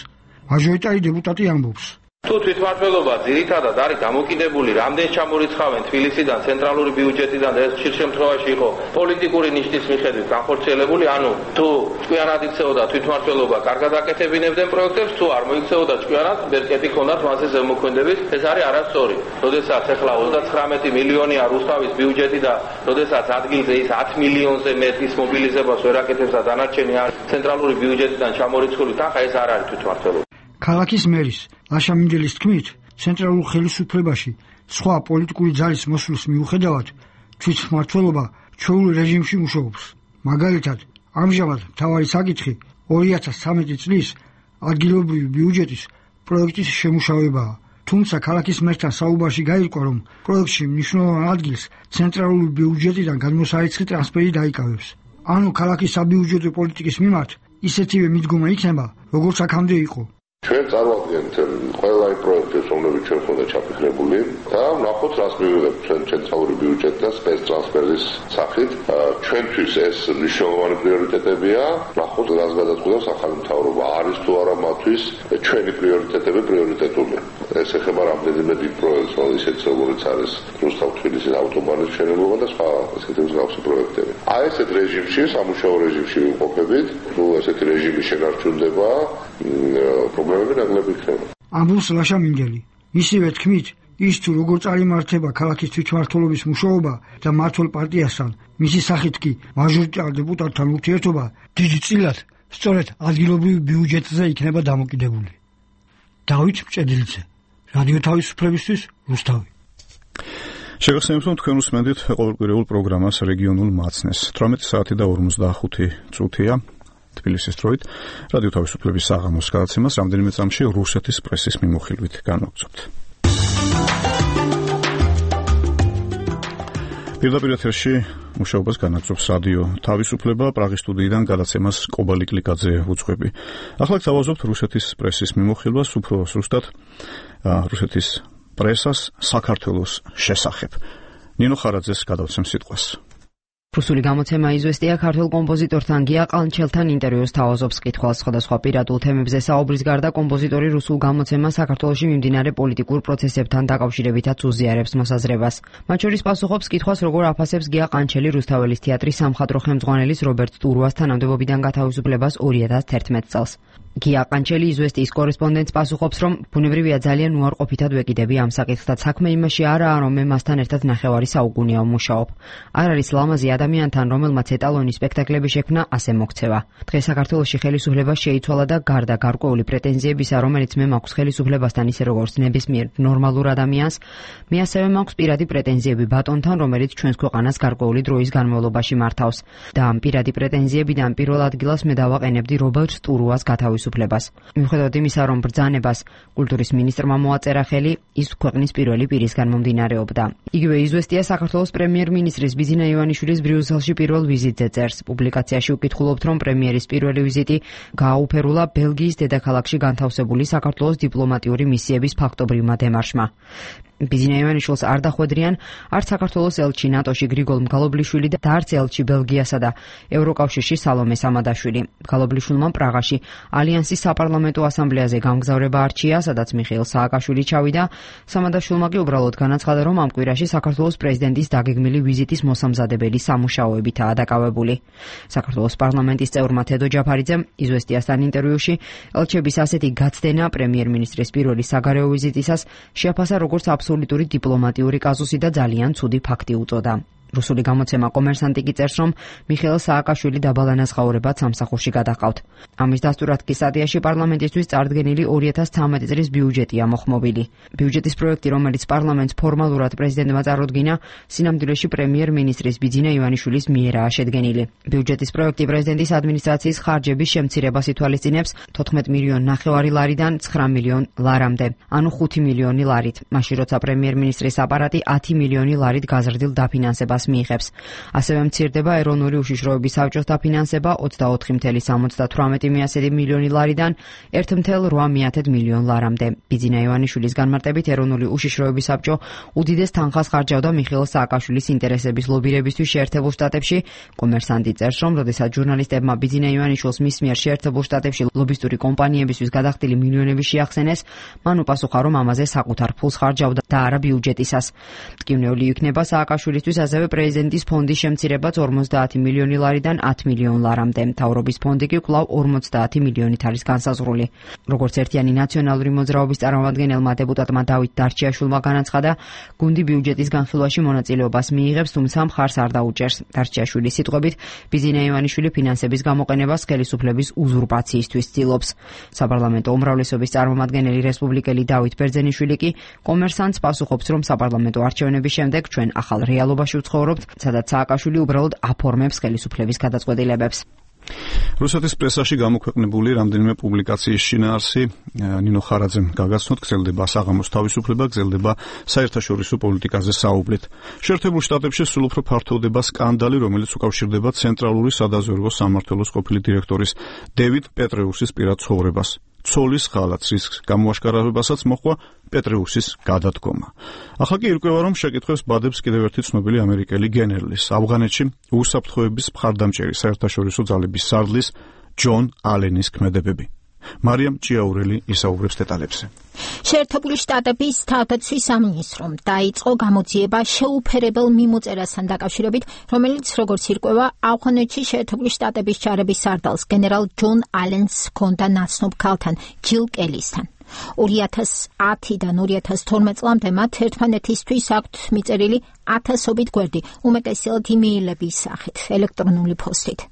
მაჟორიტარი დეპუტატი ამბობს, თუ თვითმმართველობა ძირითადად არის დამოკიდებული რამდენ ჩამორიცხავენ თბილისიდან, ცენტრალური ბიუჯეტიდან და ეს ხშირ შემთხვევაში იყო პოლიტიკური ნიშნის მიხედვით განხორციელებული, ანუ თუ ჭკვიანად იქცეოდა თვითმმართველობა, კარგად აკეთებინებდნენ პროექტებს, თუ არ მოიქცეოდა ჭკვიანად, ბერკეტი ქონდათ მასზე ზემოქმედების, ეს არის არასწორი. როდესაც ახლა 39 მილიონია რუსთავის ბიუჯეტი და როდესაც ადგილზე ის 10 მილიონზე მეტის მობილიზებას ვერ აკეთებს და დანარჩენი არის ცენტრალური ბიუჯეტიდან ჩამორიცხული თანხა, ეს არ არის თვითმმართველობა. ქალაქის მერის ლაშა მინდელის თქმით, ცენტრალურ ხელისუფლებაში სხვა პოლიტიკური ძალის მოსვლის მიუხედავად თვითმმართველობა ჩვეულ რეჟიმში მუშაობს. მაგალითად, ამჟამად მთავარი საკითხი 2013 წლის ადგილობრივი ბიუჯეტის პროექტის შემუშავებაა. თუმცა ქალაქის მერთან საუბარში გაირკვა, რომ პროექტში მნიშვნელოვან ადგილს ცენტრალური ბიუჯეტიდან გადმოსარიცხი ტრანსფერი დაიკავებს. ანუ ქალაქის საბიუჯეტო პოლიტიკის მიმართ ისეთივე მიდგომა იქნება, როგორც აქამდე იყო. ჩვენ წარვადგენთ ყველა იმ პროექტებს, რომლებიც ჩვენ ხონდა ჩაფიქრებული და ვნახოთ, რას მივიღებთ ჩვენ ცენტრალური ბიუჯეტი და სპეცტრანსფერის სახით. ჩვენთვის ეს მნიშვნელოვანი პრიორიტეტებია. ვნახოთ, რას გადაწყვეტავს ახალი მთავრობა, არის თუ არა მათთვის ჩვენი პრიორიტეტები პრიორიტეტულია. ეს ეხება რამდენიმე დიდ პროექტს, ისეთ როგორც არის რუსთავ-თბილისის ავტობანის მშენებლობა და სხვა ესეთი მსგავსი პროექტები. ესეთ რეჟიმში, სამუშაო რეჟიმში ვიმყოფებით, თუ ესეთი რეჟიმი შენარჩუნდება, პრობლემები ნაკლები იქნება. ამბობს ლაშა მინგელი. ისევე თქმით, ის თუ როგორ წარიმართება ქალაქის თვითმმართველობის მუშაობა და მმართველ პარტიასთან, მისი სახით კი მაჟორიტარ დეპუტატთან ურთიერთობა დიდი წილად სწორედ ადგილობრივ ბიუჯეტზე იქნება დამოკიდებული. დავით მჭედლიძე, რადიო თავისუფლებისთვის, რუსთავი. შეგახსენებთ, რომ თქვენ უსმენთ ყოველკვირეულ პროგრამას რეგიონულ მაცნეს. 18 საათი და 45 წუთია თბილისის დროით. რადიო თავისუფლების საღამოს გადაცემას რამდენიმე წამში რუსეთის პრესის მიმოხილვით განვაგრძობთ. პირდაპირ ეთერში მუშაობას განაგრძობს რადიო თავისუფლება, პრაღის სტუდიიდან გადაცემას კობალი კლიკაძე უძღვები. ახლა გთავაზობთ რუსეთის პრესის მიმოხილვას, უფრო ზუსტად რუსეთის პრესას საქართველოს შესახებ. ნინო ხარაძეს გადავცემ სიტყვას. რუსული გამოცემა იზვესტია ქართულ კომპოზიტორთან გია ყანჩელთან ინტერვიუს თავაზობს კითხვას. სხვადასხვა პირადულ თემებზე საუბრის გარდა კომპოზიტორი რუსულ გამოცემას საქართველოში მიმდინარე პოლიტიკურ პროცესებთან დაკავშირებითაც უზიარებს მოსაზრებას. მათ შორის პასუხობს კითხვას, როგორ აფასებს გია ყანჩელი რუსთაველის თეატრის სამხატვრო ხელმძღვანელის რობერტ ტურუას თანამდებობიდან გათავისუფლებას 2011 წელს. გია ყანჩელი იზვესტიის კორესპონდენტს პასუხობს, რომ ბუნებრივია ძალიან უარყოფითად ვეკიდები ამ საკითხთან. საქმე იმაში არაა, რომ მე მასთან ერთად ნახევარი საუკუნეა ვმუშაობ. არ არის ლამაზი ადამიანთან, რომელმაც ეტალონის სპექტაკლები შექმნა, ასე მოქცევა. დღეს საქართველოში ხელისუფლება შეიცვალა და გარდა გარკვეული პრეტენზიებისა, რომელიც მე მაქვს ხელისუფლებასთან ისე როგორც ნებისმიერ ნორმალურ ადამიანს, მე ასევე მაქვს პირადი პრეტენზიები ბატონთან, რომელიც ჩვენს ქვეყანას გარკვეული დროის განმავლობაში მართავს. და ამ პირადი პრეტენზიებიდან პირველ ადგილას მე დავაყენებდი რობერტ ტურუას გათავისუფლებას. მიუხედავად იმისა, რომ ბრძანებას კულტურის მინისტრმა მოაწერა ხელი, ის ქვეყნის პირველი პირისგან მომდინარეობდა. იგივე იზვესტია საქართველოს პრემიერ-მინისტრის ბიძინა ივანიშვილის ბრიუსელში პირველ ვიზიტზე წერს. პუბლიკაციაში უკითხულობთ, რომ პრემიერის პირველი ვიზიტი გააუფერულა ბელგიის დედაქალაქში განთავსებული საქართველოს დიპლომატიური მისიების ფაქტობრივმა დემარშმა. ბიძინა ივანიშვილს არ დახვედრიან არც საქართველოს ელჩი ნატოში გრიგოლ მგალობლიშვილი და არც ელჩი ბელგიასა და ევროკავშირში სალომე სამადაშვილი. მგალობლიშვილმა პრაღაში ალიანსის საპარლამენტო ასამბლეაზე გამგზავრება არჩია, სადაც მიხეილ სააკაშვილი ჩავიდა. სამადაშვილმა კი უბრალოდ განაცხადა, რომ ამ კვირაში საქართველოს პრეზიდენტის დაგეგმილი ვიზიტის მოსამზადებელი სამუშაოებითაა დაკავებული. საქართველოს პარლამენტის წევრმა თედო ჯაფარიძემ იზვესტიასთან ინტერვიუში ელჩების ასეთი გაცდენა პრემიერ-მინისტრის პირველი საგარეო ვიზიტისას შეაფასა როგორც აბსოლუტური დიპლომატიური კაზუსი და ძალიან ცუდი ფაქტი უწოდა. რუსული გამოცემა კომერსანტი კი წერს, რომ მიხეილ სააკაშვილი დაბალანაზღაურებად სამსახურში გადაჰყავთ. ამის დასტურად კი სტატიაში პარლამენტისთვის წარდგენილი 2013 წლის ბიუჯეტია მოხმობილი. ბიუჯეტის პროექტი, რომელიც პარლამენტს ფორმალურად პრეზიდენტმა წარუდგინა, სინამდვილეში პრემიერ-მინისტრის ბიძინა ივანიშვილის მიერაა შედგენილი. ბიუჯეტის პროექტი პრეზიდენტის ადმინისტრაციის ხარჯების შემცირებას ითვალისწინებს 14 მილიონი ნახევარი ლარიდან 9 მილიონი ლარამდე, ანუ 5 მილიონი ლარით. მაშინ როცა პრემიერ-მინისტრის აპარატი 10 მილიონი ლარით გაზრდილ დაფინანსებას მიიღებს. ასევე მცირდება ეროვნული უშიშროების საბჭოს დაფინანსება 24,78 მილიონი ლარიდან 1,8 მილიონ ლარამდე. ბიძინა ივანიშვილის განმარტებით ეროვნული უშიშროების საბჭო უდიდეს თანხას ხარჯავდა მიხეილ სააკაშვილის ინტერესების ლობირებისთვის შეერთებულ შტატებში. კომერსანტი წერს, რომ როდესაც ჟურნალისტებმა ბიძინა ივანიშვილს მის მიერ შეერთებულ შტატებში ლობისტური კომპანიებისთვის გადახდილი მილიონები შეახსენეს, მან უპასუხა, რომ ამაზე საკუთარ ფულს ხარჯავდა და არა ბიუჯეტისას. ტკივნეული იქნება სააკაშვილისთვის ასევე პრეზიდენტის ფონდის შემცირებაც 50 მილიონი ლარიდან 10 მილიონ ლარამდე. მთავრობის ფონდი კი კვლავ 50 მილიონით არის განსაზღვრული. როგორც ერთიანი ნაციონალური მოძრაობის წარმომადგენელმა დეპუტატმა დავით დარჩიაშვილმა განაცხადა, გუნდი ბიუჯეტის განხილვაში მონაწილეობას მიიღებს, თუმცა მხარს არ დაუჭერს. დარჩიაშვილის სიტყვებით, ბიძინა ივანიშვილი ფინანსების გამოყენებას ხელისუფლების უზურპაციისთვის ცდილობს. საპარლამენტო უმრავლესობის წარმომადგენელი რესპუბლიკელი დავით ბერძენიშვილი კი კომერსანტს პასუხობს, რომ საპარლამენტო არჩევნების შემდეგ ჩვენ ახალ რეალობაში ვცხოვრობთ, სადაც სააკაშვილი უბრალოდ აფორმებს ხელისუფლების გადაწყვეტილებებს. რუსეთის პრესაში გამოქვეყნებული რამდენიმე პუბლიკაციის შინაარსი ნინო ხარაძემ გაგაცნოთ, გრძელდება საღამოს თავისუფლება, გრძელდება საერთაშორისო პოლიტიკაზე საუბრით. შეერთებულ შტატებში სულ უფრო ფართოვდება სკანდალი, რომელიც უკავშირდება ცენტრალური სადაზვერვო სამმართველოს ყოფილი დირექტორის დევიდ პეტრეუსის პირად ცხოვრებას. ცოლის ღალატს რისკს გამოაშკარავებასაც მოჰყვა პეტრეუსის გადადგომა. ახლა კი ირკვევა, რომ შეკითხვებს ბადებს კიდევ ერთი ცნობილი ამერიკელი გენერლის, ავღანეთში უსაფრთხოების მხარდამჭერი საერთაშორისო ძალების სარდლის ჯონ ალენის ქმედებები. მარიამ ჭიაურელი ისაუბრებს დეტალებზე. შეერთებული შტატების თავდაცვის სამინისტრომ დაიწყო გამოძიება შეუფერებელ მიმოწერასთან დაკავშირებით, რომელიც როგორც ირკვევა, ავღანეთში შეერთებული შტატების ჯარების სარდალს გენერალ ჯონ ალენს ჰქონდა ნაცნობ ქალთან ჯილ კელისთან. 2010-დან 2012 წლამდე მათ ერთმანეთისთვის აქვთ მიწერილი ათასობით გვერდი, უმეტესად იმეილების სახით, ელექტრონული ფოსტით.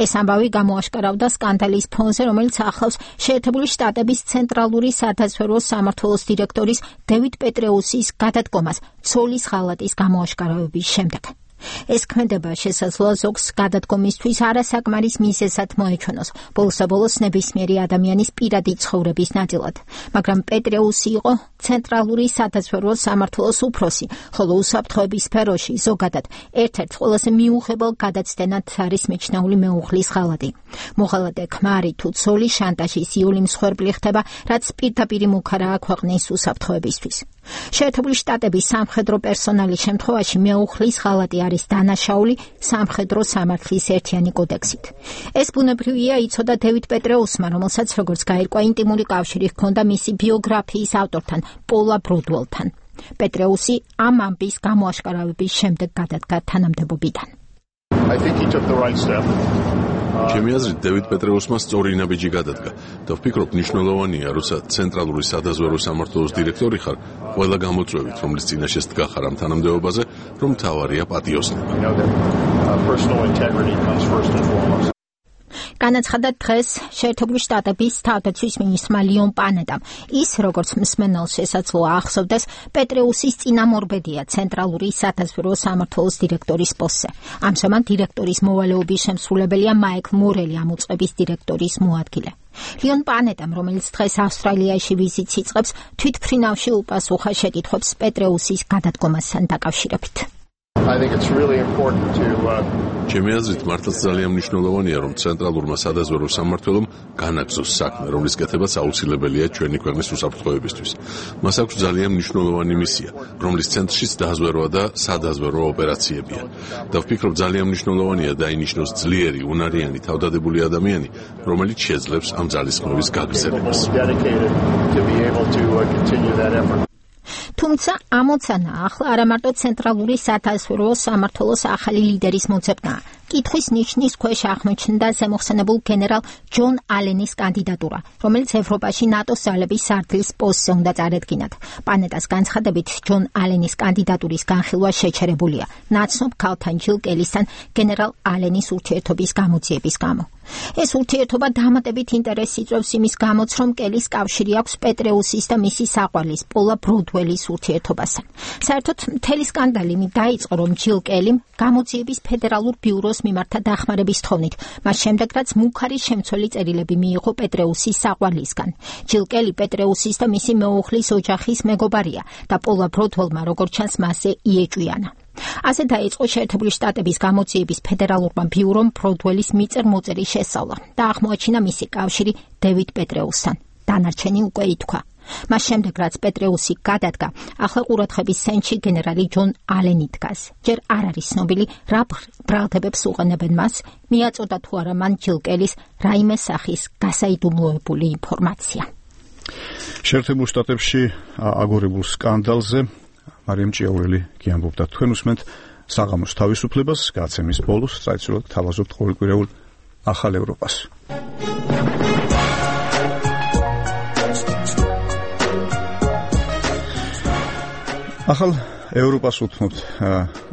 ეს ამბავი გამოაშკარავდა სკანდალის ფონზე, რომელიც ახლავს შეერთებული შტატების ცენტრალური სადაზვერვო სამმართველოს დირექტორის დევიდ პეტრეუსის გადადგომას ცოლის ღალატის გამოაშკარავების შემდეგ. ეს ქმედება შესაძლოა ზოგს გადადგომისთვის არასაკმარის მიზეზად მოეჩვენოს, ბოლოს ნებისმიერი ადამიანის პირადი ცხოვრების ნაწილად. მაგრამ პეტრეუსი იყო ცენტრალური სადაზვერვო სამმართველოს უფროსი, ხოლო უსაფრთხოების სფეროში ზოგადად ერთ-ერთ ყველაზე მიუღებელ გადაცდენად არის მიჩნეული მეუღლის ღალატი. მოღალატე ქმარი თუ ცოლის შანტაჟის იული მსხვერპლი ხდება, რაც პირდაპირი მუქარაა ქვეყნის უსაფრთხოებისთვის. შეერთებული შტატების სამხედრო პერსონალის შემთხვევაში მეუღლის ღალატი არის დანაშაული სამხედრო სამართლის ერთიანი კოდექსით. ეს ბუნებრივია იცოდა დევიდ პეტრეუსმა, რომელსაც როგორც გაირკვა ინტიმური კავშირი ჰქონდა მისი ბიოგრაფიის ავტორთან, პოლა ბროდველთან. პეტრეუსი ამ ამბის გამოაშკარავების შემდეგ გადადგა თანამდებობიდან. ჩემი აზრით, დევიდ პეტრეუსმა სწორი ნაბიჯი გადადგა და ვფიქრობ, მნიშვნელოვანია, როცა ცენტრალური სადაზვერვო სამმართველოს დირექტორი ხარ, ყველა გამოწვევით, რომლის წინაშე დგახარ ამ თანამდებობაზე, რომ მთავარია პატიოსნება. განაცხადა დღეს შეერთებული შტატების თავდაცვის მინისტრმა ლიონ პანეტამ. ის, როგორც მსმენელს შესაძლოა ახსოვდეს, პეტრეუსის წინამორბედია ცენტრალური სადაზვერვო სამმართველოს დირექტორის პოსტზე. ამჟამად დირექტორის მოვალეობის შემსრულებელია მაიკლ მორელი, ამ უწყების დირექტორის მოადგილე. ლიონ პანეტამ, რომელიც დღეს ავსტრალიაში ვიზიტს იწყებს, თვითმფრინავში უპასუხა შეკითხვებს პეტრეუსის გადადგომასთან დაკავშირებით. ჩემი აზრით, მართლაც ძალიან მნიშვნელოვანია, რომ ცენტრალურმა სადაზვერვო სამმართველომ განაგზოს საქმე, რომლის კეთებაც აუცილებელია ჩვენი ქვეყნის უსაფრთხოებისთვის. მას აქვს ძალიან მნიშვნელოვანი მისია, რომლის ცენტრშიც დაზვერვა და სადაზვერვო ოპერაციებია. და ვფიქრობ, ძალიან მნიშვნელოვანია დაინიშნოს ძლიერი, უნარიანი, თავდადებული ადამიანი, რომელიც შეძლებს ამ ძალისხმევის გაგრძელებას. თუმცა ამოცანა ახლა არა მარტო ცენტრალური სადაზვერვო სამმართველოს ახალი ლიდერის მოძებნაა. კითხვის ნიშნის ქვეშ აღმოჩნდა ზემოხსენებულ გენერალ ჯონ ალენის კანდიდატურა, რომელიც ევროპაში ნატოს ძალების სარდლის პოსტზე უნდა წარედგინათ. პანეტას განცხადებით, ჯონ ალენის კანდიდატურის განხილვა შეჩერებულია ნაცნობ ქალთან ჯილ კელისთან გენერალ ალენის ურთიერთობის გამოძიების გამო. ეს ურთიერთობა დამატებით ინტერესს იწვევს იმის გამოც, რომ კელის კავშირი აქვს პეტრეუსის და მისი საყვარლის პოლა ბროდველის ურთიერთობასთან. საერთოდ მთელი სკანდალი დაიწყო, რომ ჯილ კელიმ გამოძიების ფედერალურ ბიუროს მიმართა დახმარების თხოვნით, მას შემდეგ რაც მუქარი შემცველი წერილები მიიღო პეტრეუსის საყვარლისგან. ჯილ კელი პეტრეუსის და მისი მეუღლის ოჯახის მეგობარია და პოლა ბროდველმა როგორც ჩანს მასზე იეჭვიანა. ასე დაიწყო შეერთებული შტატების გამოძიების ფედერალურმა ბიურომ ბროდველის მიწერ-მოწერის შესწავლა და აღმოაჩინა მისი კავშირი დევიდ პეტრეუსთან. დანარჩენი უკვე ითქვა. მას შემდეგ, რაც პეტრეუსი გადადგა, ახლა ყურადღების ცენტრში გენერალი ჯონ ალენი დგას. ჯერ არ არის ცნობილი, რა ბრალდებებს უყენებენ მას, მიაწოდა თუ არა მან ჯილ კელის რაიმე სახის გასაიდუმლოებული ინფორმაცია. შეერთებულ შტატებში აგორებულ სკანდალზე მარიამ ჭიაურელი კი ამბობდა. თქვენ უსმენთ საღამოს თავისუფლებას, გაცემის ბოლოს საერთოდ თავაზობთ ყოველკვირეულ ახალ ევროპას. ახალ ევროპას უთმობთ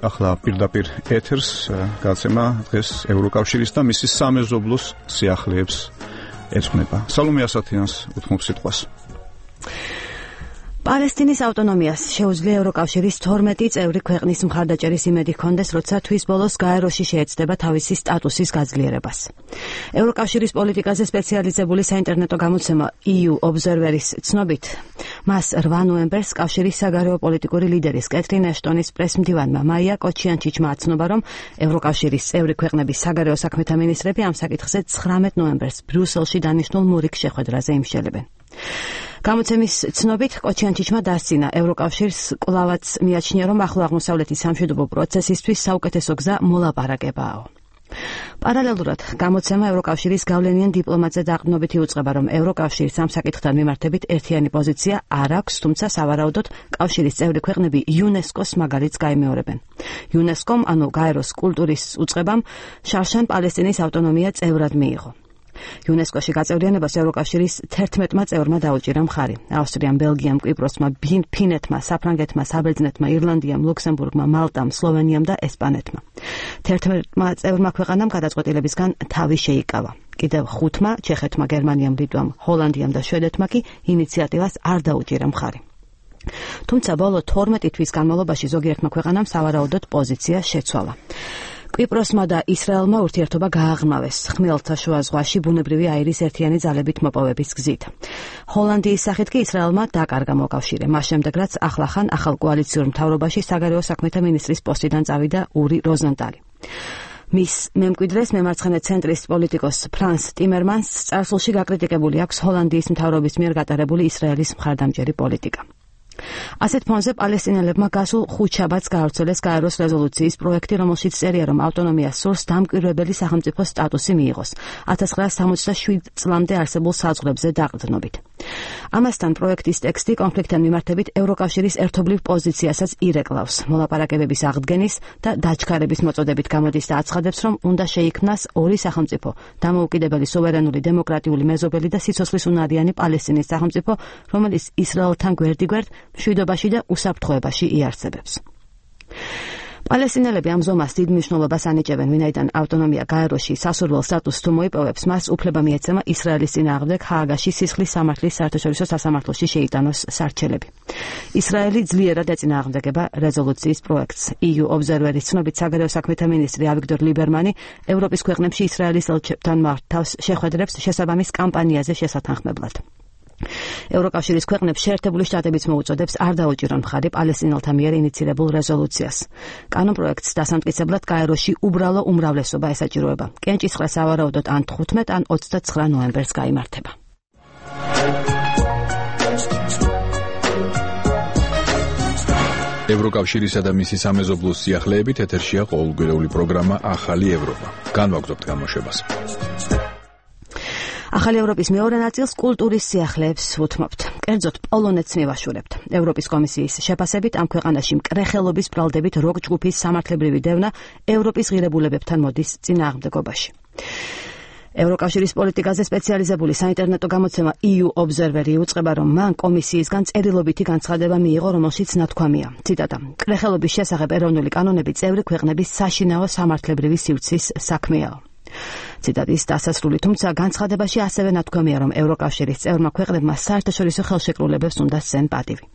ახლა პირდაპირ ეთერს გაცემა დღეს ევროკავშირის და მისი სამეზობლოს სიახლეებს ეძღვნება. სალომე ასათიანს უთმობ სიტყვას. პალესტინის ავტონომიას შეუძლია ევროკავშირის 12 წევრი ქვეყნის მხარდაჭერის იმედი ჰქონდეს, როცა თვის ბოლოს გაეროში შეეცდება თავისი სტატუსის გაძლიერებას. ევროკავშირის პოლიტიკაზე სპეციალიზებული საინტერნეტო გამოცემა EU Observer-ის ცნობით, მას 8 ნოემბერს კავშირის საგარეო პოლიტიკური ლიდერის კეთრინ ეშტონის პრესმდივანმა მაია კოჩიანჩიჩმა აცნობა, რომ ევროკავშირის წევრი ქვეყნების საგარეო საქმეთა მინისტრები ამ საკითხზე 19 ნოემბერს ბრიუსელში დანიშნულ მურიგ შეხვედრაზე იმშელებენ. გამოცემის ცნობით კოჩიანჩიჩმა დასცინა ევროკავშირს კვლავაც მიაჩნია, რომ ახლო აღმოსავლეთის სამშვიდობო პროცესისთვის საუკეთესო გზა მოლაპარაკებაა. პარალელურად გამოცემა ევროკავშირის გავლენიან დიპლომატზე დაყრდნობით იუწყება, რომ ევროკავშირის ამ საკითხთან მიმართებით ერთიანი პოზიცია არ აქვს, თუმცა სავარაუდოდ კავშირის წევრი ქვეყნები იუნესკოს მაგალითს გაიმეორებენ. იუნესკომ, ანუ გაეროს კულტურის უწყებამ, შარშან პალესტინის ავტონომია წევრად მიიღო. იუნესკოში გაწევრიანებას ევროკავშირის 11-მა წევრმა დაუჭირა მხარი. ავსტრიამ, ბელგიამ, კვიპროსმა, ფინეთმა, საფრანგეთმა, საბერძნეთმა, ირლანდიამ, ლუქსემბურგმა, მალტამ, სლოვენიამ და ესპანეთმა. 11-მა წევრმა ქვეყანამ გადაწყვეტილებისგან თავი შეიკავა. კიდევ 5-მა, ჩეხეთმა, გერმანიამ, ლიტვამ, ჰოლანდიამ და შვედეთმა კი ინიციატივას არ დაუჭირა მხარი. თუმცა ბოლო 12 თვის განმავლობაში ზოგიერთმა ქვეყანამ სავარაუდოდ პოზიცია შეცვალა. კვიპროსმა და ისრაელმა ურთიერთობა გააღრმავეს ხმელთაშუა ზღვაში ბუნებრივი აირის ერთიანი ძალებით მოპოვების გზით. ჰოლანდიის სახით კი ისრაელმა დაკარგა მოკავშირე, მას შემდეგ რაც ახლახან ახალ კოალიციურ მთავრობაში საგარეო საქმეთა მინისტრის პოსტიდან წავიდა ური როზენტალი. მის მემკვიდრეს მემარცხენე ცენტრის პოლიტიკოს ფრანს ტიმერმანს წარსულში გაკრიტიკებული აქვს ჰოლანდიის მთავრობის მიერ გატარებული ისრაელის მხარდამჭერი პოლიტიკა. ასეთ ფონზე პალესტინელებმა გასულ ხუთშაბათს გაავრცელეს გაეროს რეზოლუციის პროექტი, რომელშიც წერია, რომ ავტონომიას სურს დამკვირვებელი სახელმწიფო სტატუსი მიიღოს 1967 წლამდე არსებულ საზღვრებზე დაყრდნობით. ამასთან პროექტის ტექსტი კონფლიქტთან მიმართებით ევროკავშირის ერთობლივ პოზიციასაც ირეკლავს, მოლაპარაკებების აღდგენის და დაჩქარების მოწოდებით გამოდის და აცხადებს, რომ უნდა შეიქმნას ორი სახელმწიფო, დამოუკიდებელი სუვერენული დემოკრატიული მეზობელი და სიცოცხლისუნარიანი პალესტინის სახელმწიფო, რომელიც ისრაელთან გვერდიგვერდ მშვიდობაში და უსაფრთხოებაში იარსებებს. პალესტინელები ამ ზომას დიდ მნიშვნელობას ანიჭებენ, ვინაიდან ავტონომია გაეროში სასურველ სტატუსს თუ მოიპოვებს, მას უფლება მიეცემა ისრაელის წინააღმდეგ ჰააგაში სისხლის სამართლის საერთაშორისო სასამართლოში შეიტანოს სარჩელები. ისრაელი ძლიერად ეწინააღმდეგება რეზოლუციის პროექტს. EU Observer-ის ცნობით საგარეო საქმეთა მინისტრი ავიგდორ ლიბერმანი ევროპის ქვეყნებში ისრაელის ელჩებთან მართავს შეხვედრებს შესაბამის კამპანიაზე შესათანხმებლად. ევროკავშირის ქვეყნებს შეერთებული შტატებიც მოუწოდებს არ დაუჭირონ მხარი პალესტინელთა მიერ ინიცირებულ რეზოლუციას. კანონპროექტს დასამტკიცებლად გაეროში უბრალო უმრავლესობა ესაჭიროება. კენჭისყრა სავარაუდოდ ან 15 ან 29 ნოემბერს გაიმართება. ევროკავშირისა და მისი სამეზობლოს სიახლეებით ეთერშია ყოველკვირეული პროგრამა ახალი ევროპა. განვაგრძობთ გამოშვებას. ახალი ევროპის მეორე ნაწილს კულტურის სიახლეებს უთმობთ. კერძოდ პოლონეთს მივაშურებთ. ევროპის კომისიის შეფასებით ამ ქვეყანაში მკრეხელობის ბრალდებით როკ ჯგუფის სამართლებრივი დევნა ევროპის ღირებულებებთან მოდის წინააღმდეგობაში. ევროკავშირის პოლიტიკაზე სპეციალიზებული საინტერნეტო გამოცემა EU Observer იუწყება, რომ მან კომისიისგან წერილობითი განცხადება მიიღო, რომელშიც ნათქვამია. ციტატა: კრეხელობის შესახებ ეროვნული კანონები წევრი ქვეყნების საშინაო სამართლებრივი სივრცის საქმეა. ციტატის დასასრული, თუმცა განცხადებაში ასევე ნათქვამია, რომ ევროკავშირის წევრმა ქვეყნებმა საერთაშორისო ხელშეკრულებებს უნდა სცენ პატივი.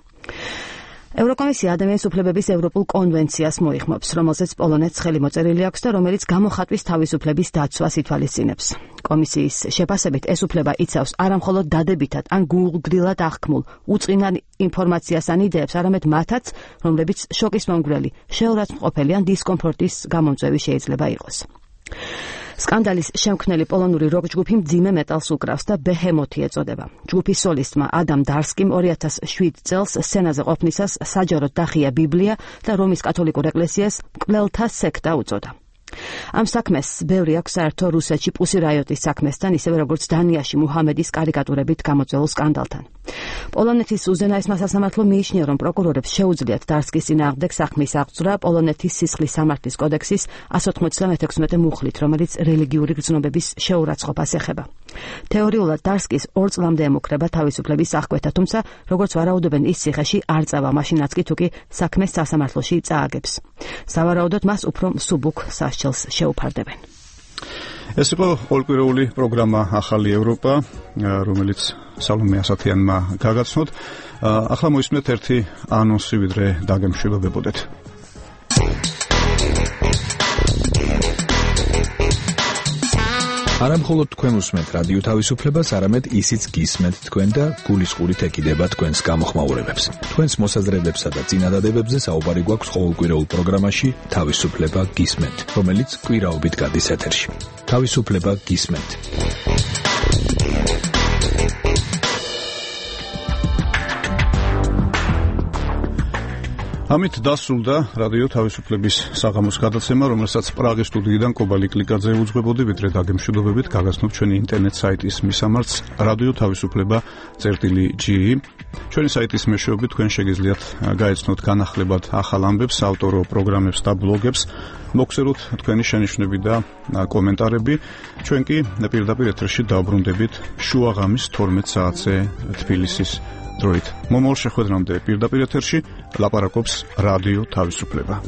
ევროკომისია ადამიანის უფლებების ევროპულ კონვენციას მოიხმობს, რომელზეც პოლონეთს ხელი მოწერილი აქვს და რომელიც გამოხატვის თავისუფლების დაცვას ითვალისწინებს. კომისიის შეფასებით ეს უფლება იცავს არამხოლოდ დადებითად ან გულგრილად აღქმულ უწყინარ ინფორმაციას ან იდეებს, არამედ მათაც, რომლებიც შოკის მომგვრელი, შეურაცხმყოფელი ან დისკომფორტის გამომწვევი შეიძლება იყოს. სკანდალის შემქმნელი პოლონური როკ ჯგუფი მძიმე მეტალს უკრავს და ბეჰემოთი ეწოდება. ჯგუფის სოლისტმა ადამ დარსკიმ 2007 წელს სცენაზე ყოფნისას საჯაროდ დახია ბიბლია და რომის კათოლიკურ ეკლესიას მკვლელთა სექტა უწოდა. ამ საქმეს ბევრი აქვს საერთო რუსეთში პუსი რაიოტის საქმესთან, ისევე როგორც დანიაში მუჰამედის კარიკატურებით გამოწვეულ სკანდალთან. პოლონეთის უზენაესმა სასამართლომ მიიჩნია, რომ პროკურორებს შეუძლიათ დარსკის წინააღმდეგ საქმის აღძვრა პოლონეთის სისხლის სამართლის კოდექსის 196 მუხლით, რომელიც რელიგიური გრძნობების შეურაცხყოფას ეხება. თეორიულად დარსკის 2 წლამდე ემუქრება თავისუფლების აღკვეთა, თუმცა როგორც ვარაუდობენ, ის ციხეში არ წავა, მაშინაც კი თუკი საქმეს სასამართლოში წააგებს. სავარაუდოდ მას უფრო მსუბუქ სასჯელს შეუფარდებენ. ეს იყო ყოველკვირეული პროგრამა ახალი ევროპა, რომელიც სალომე ასათიანმა გაგაცნოთ. ახლა მოისმენთ ერთი ანონსი, ვიდრე დაგემშვიდობებოდეთ. არა მხოლოდ თქვენ უსმენთ რადიო თავისუფლებას, არამედ ისიც გისმენთ თქვენ და გულისყურით ეკიდება თქვენს გამოხმაურებებს. თქვენს მოსაზრებებსა და წინადადებებზე საუბარი გვაქვს ყოველკვირეულ პროგრამაში თავისუფლება გისმენთ, რომელიც კვირაობით გადის ეთერში. თავისუფლება გისმენთ. ამით დასრულდა რადიო თავისუფლების საღამოს გადაცემა, რომელსაც პრაღის სტუდიიდან კობალი კლიკაძე უძღვებოდი, ვიდრე დაგემშვიდობებით გაგაცნობ ჩვენი ინტერნეტ საიტის მისამართს radio-ge. ჩვენი საიტის მეშვეობით თქვენ შეგიძლიათ გაეცნოთ განახლებად ახალ ამბებს, ავტორო პროგრამებს და ბლოგებს, მოგხსენოთ თქვენი შენიშვნები და კომენტარები. ჩვენ კი პირდაპირ ეთერში დავბრუნდებით შუაღამის 12 საათზე თბილისის დროით. მომავალ შეხვედრამდე პირდაპირ ეთერში ლაპარაკობს რადიო თავისუფლება.